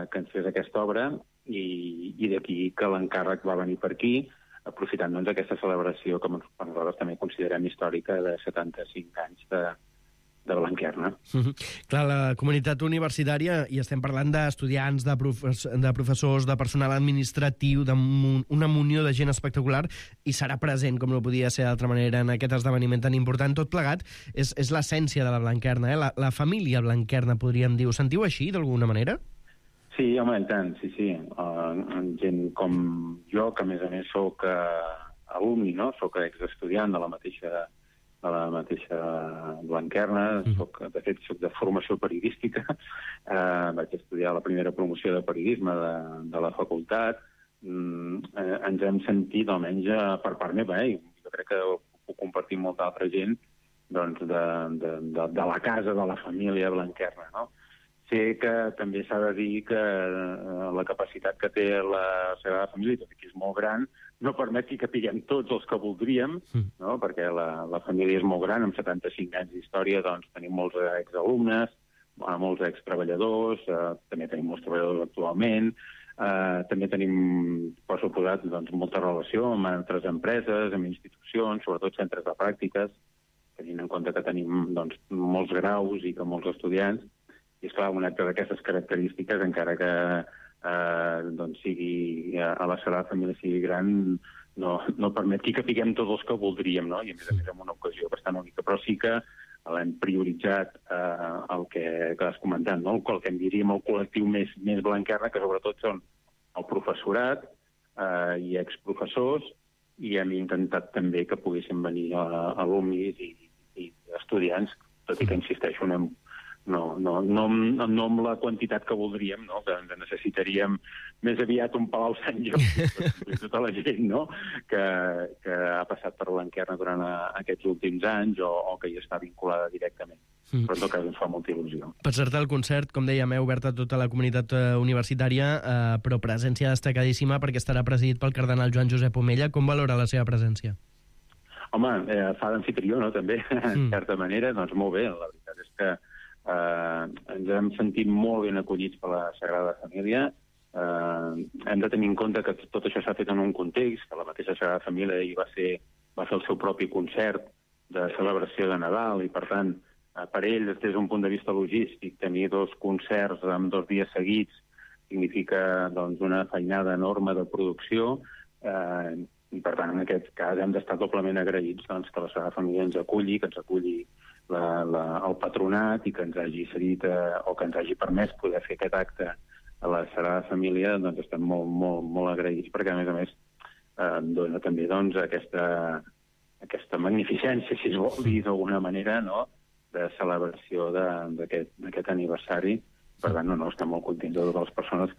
ens fes aquesta obra, i d'aquí que l'encàrrec va venir per aquí, aprofitant doncs aquesta celebració que nosaltres també considerem històrica de 75 anys de Blanquerna. Clar, la comunitat universitària, i estem parlant d'estudiants, de professors, de personal administratiu, d'una munió de gent espectacular, i serà present, com no podia ser d'altra manera, en aquest esdeveniment tan important. Tot plegat és l'essència de la Blanquerna, la família Blanquerna, podríem dir. Ho sentiu així, d'alguna manera? Sí, home, i tant, sí. Gent com jo, que a més soc alumni, no?, soc exestudiant de la mateixa Blanquerna, de fet soc de formació periodística, vaig estudiar la primera promoció de periodisme de la facultat. Ens hem sentit, almenys per part meva, jo crec que ho puc compartir amb molta altra gent, doncs de la casa, de la família Blanquerna, no? Sé que també s'ha de dir que la capacitat que té la Sagrada Família, tot i que és molt gran, no permet que capiguem tots els que voldríem, no?, perquè la família és molt gran, amb 75 anys d'història, doncs tenim molts exalumnes, molts extreballadors, també tenim molts treballadors actualment, també tenim, per suposat, doncs, molta relació amb altres empreses, amb institucions, sobretot centres de pràctiques, tenint en compte que tenim, doncs, molts graus i que molts estudiants. I, esclar, un acte d'aquestes característiques, encara que doncs sigui a la Sagrada Família sigui gran, no permet que capiguem tots els que voldríem, no? I a més en una ocasió bastant única. Però sí que l'hem prioritzat el que has comentat, no? El que en diríem el col·lectiu més Blanquerna, que sobretot són el professorat i exprofessors, i hem intentat també que poguessin venir alumnis i estudiants, tot i que, insisteixo, no amb la quantitat que voldríem, no?, que necessitaríem més aviat un Palau Sant Jordi i tota la gent, no?, que ha passat per Blanquerna durant aquests últims anys o que hi està vinculada directament. Però en tot cas ens fa molta il·lusió. Per cert, el concert, com dèiem, obert a tota la comunitat universitària, però presència destacadíssima perquè estarà presidit pel cardenal Joan Josep Omella. Com valora la seva presència? Home, fa d'anfitrió, no?, també, en certa manera. Doncs molt bé, la veritat és que ens hem sentit molt ben acollits per la Sagrada Família. Hem de tenir en compte que tot això s'ha fet en un context, que la mateixa Sagrada Família va fer el seu propi concert de celebració de Nadal, i per tant, per ell, des d'un punt de vista logístic, tenir 2 concerts en 2 dies seguits significa, doncs, una feinada enorme de producció, i per tant, en aquest cas, hem d'estar doblement agraïts, doncs, que la Sagrada Família ens aculli, que ens aculli el patronat, i que ens hagi cedit o que ens hagi permès poder fer aquest acte a la Sagrada Família. Doncs estem molt agraïts, perquè a més dona també, doncs, aquesta magnificència, si es vol dir d'alguna manera, no?, de celebració d'aquest aniversari. Per tant, estem molt contents de totes les persones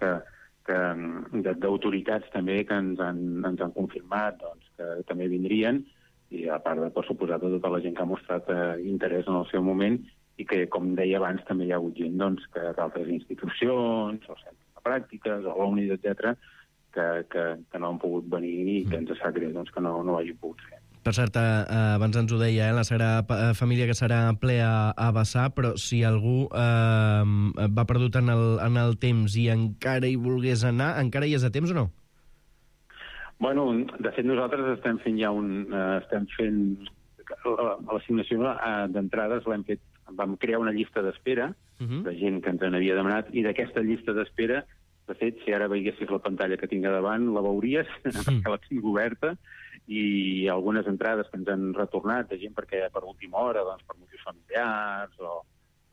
d'autoritats també que ens han confirmat, doncs, que també vindrien, i a part de, per suposat, de tota la gent que ha mostrat interès en el seu moment, i que, com deia abans, també hi ha hagut gent, doncs, que d'altres institucions, o centres de pràctiques, o alumnis, etc., que no han pogut venir i que ens sap greu, doncs, que no ho hagi pogut fer. Per cert, abans ens ho deia, la Sagrada Família que serà ple a vessar, però si algú va perdut en el temps i encara hi volgués anar, encara hi és a temps o no? Bueno, de fet nosaltres estem fent l'assignació d'entrades vam crear una llista d'espera de gent que ens n'havia demanat, i d'aquesta llista d'espera, de fet, si ara veiessis la pantalla que tinc a davant, la veuries, perquè la tinc oberta, i algunes entrades que ens han retornat de gent perquè per última hora, doncs, per motius familiars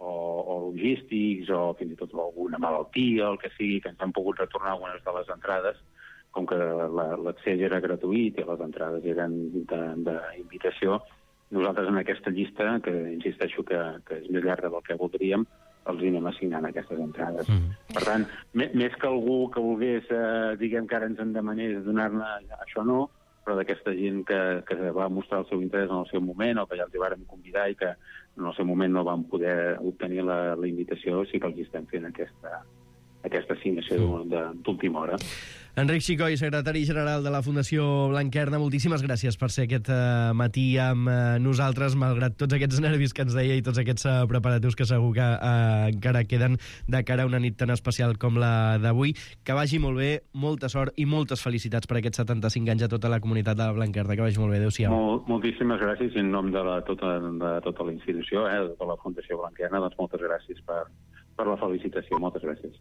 o logístics o fins i tot alguna malaltia, el que sigui, que ens han pogut retornar algunes de les entrades, com que l'accés era gratuït i les entrades eren d'invitació. Nosaltres en aquesta llista, que insisteixo que és més llarga del que voldríem, els anem assignant aquestes entrades. Per tant, més que algú que volgués, diguem que ara ens en demanés donar-ne, això no, però d'aquesta gent que va mostrar el seu interès en el seu moment o que ja els hi vàrem convidar i que en el seu moment no van poder obtenir la invitació, sí que els estem fent aquesta assignació d'última hora. Enric Xicoi, secretari general de la Fundació Blanquerna, moltíssimes gràcies per ser aquest matí amb nosaltres, malgrat tots aquests nervis que ens deia i tots aquests preparatius que segur que encara queden de cara a una nit tan especial com la d'avui. Que vagi molt bé, molta sort i moltes felicitats per aquests 75 anys a tota la comunitat de la Blanquerna. Que vagi molt bé, adéu-siau. Moltíssimes gràcies, i en nom de tota la institució, de tota la Fundació Blanquerna, doncs moltes gràcies per la felicitació. Moltes gràcies.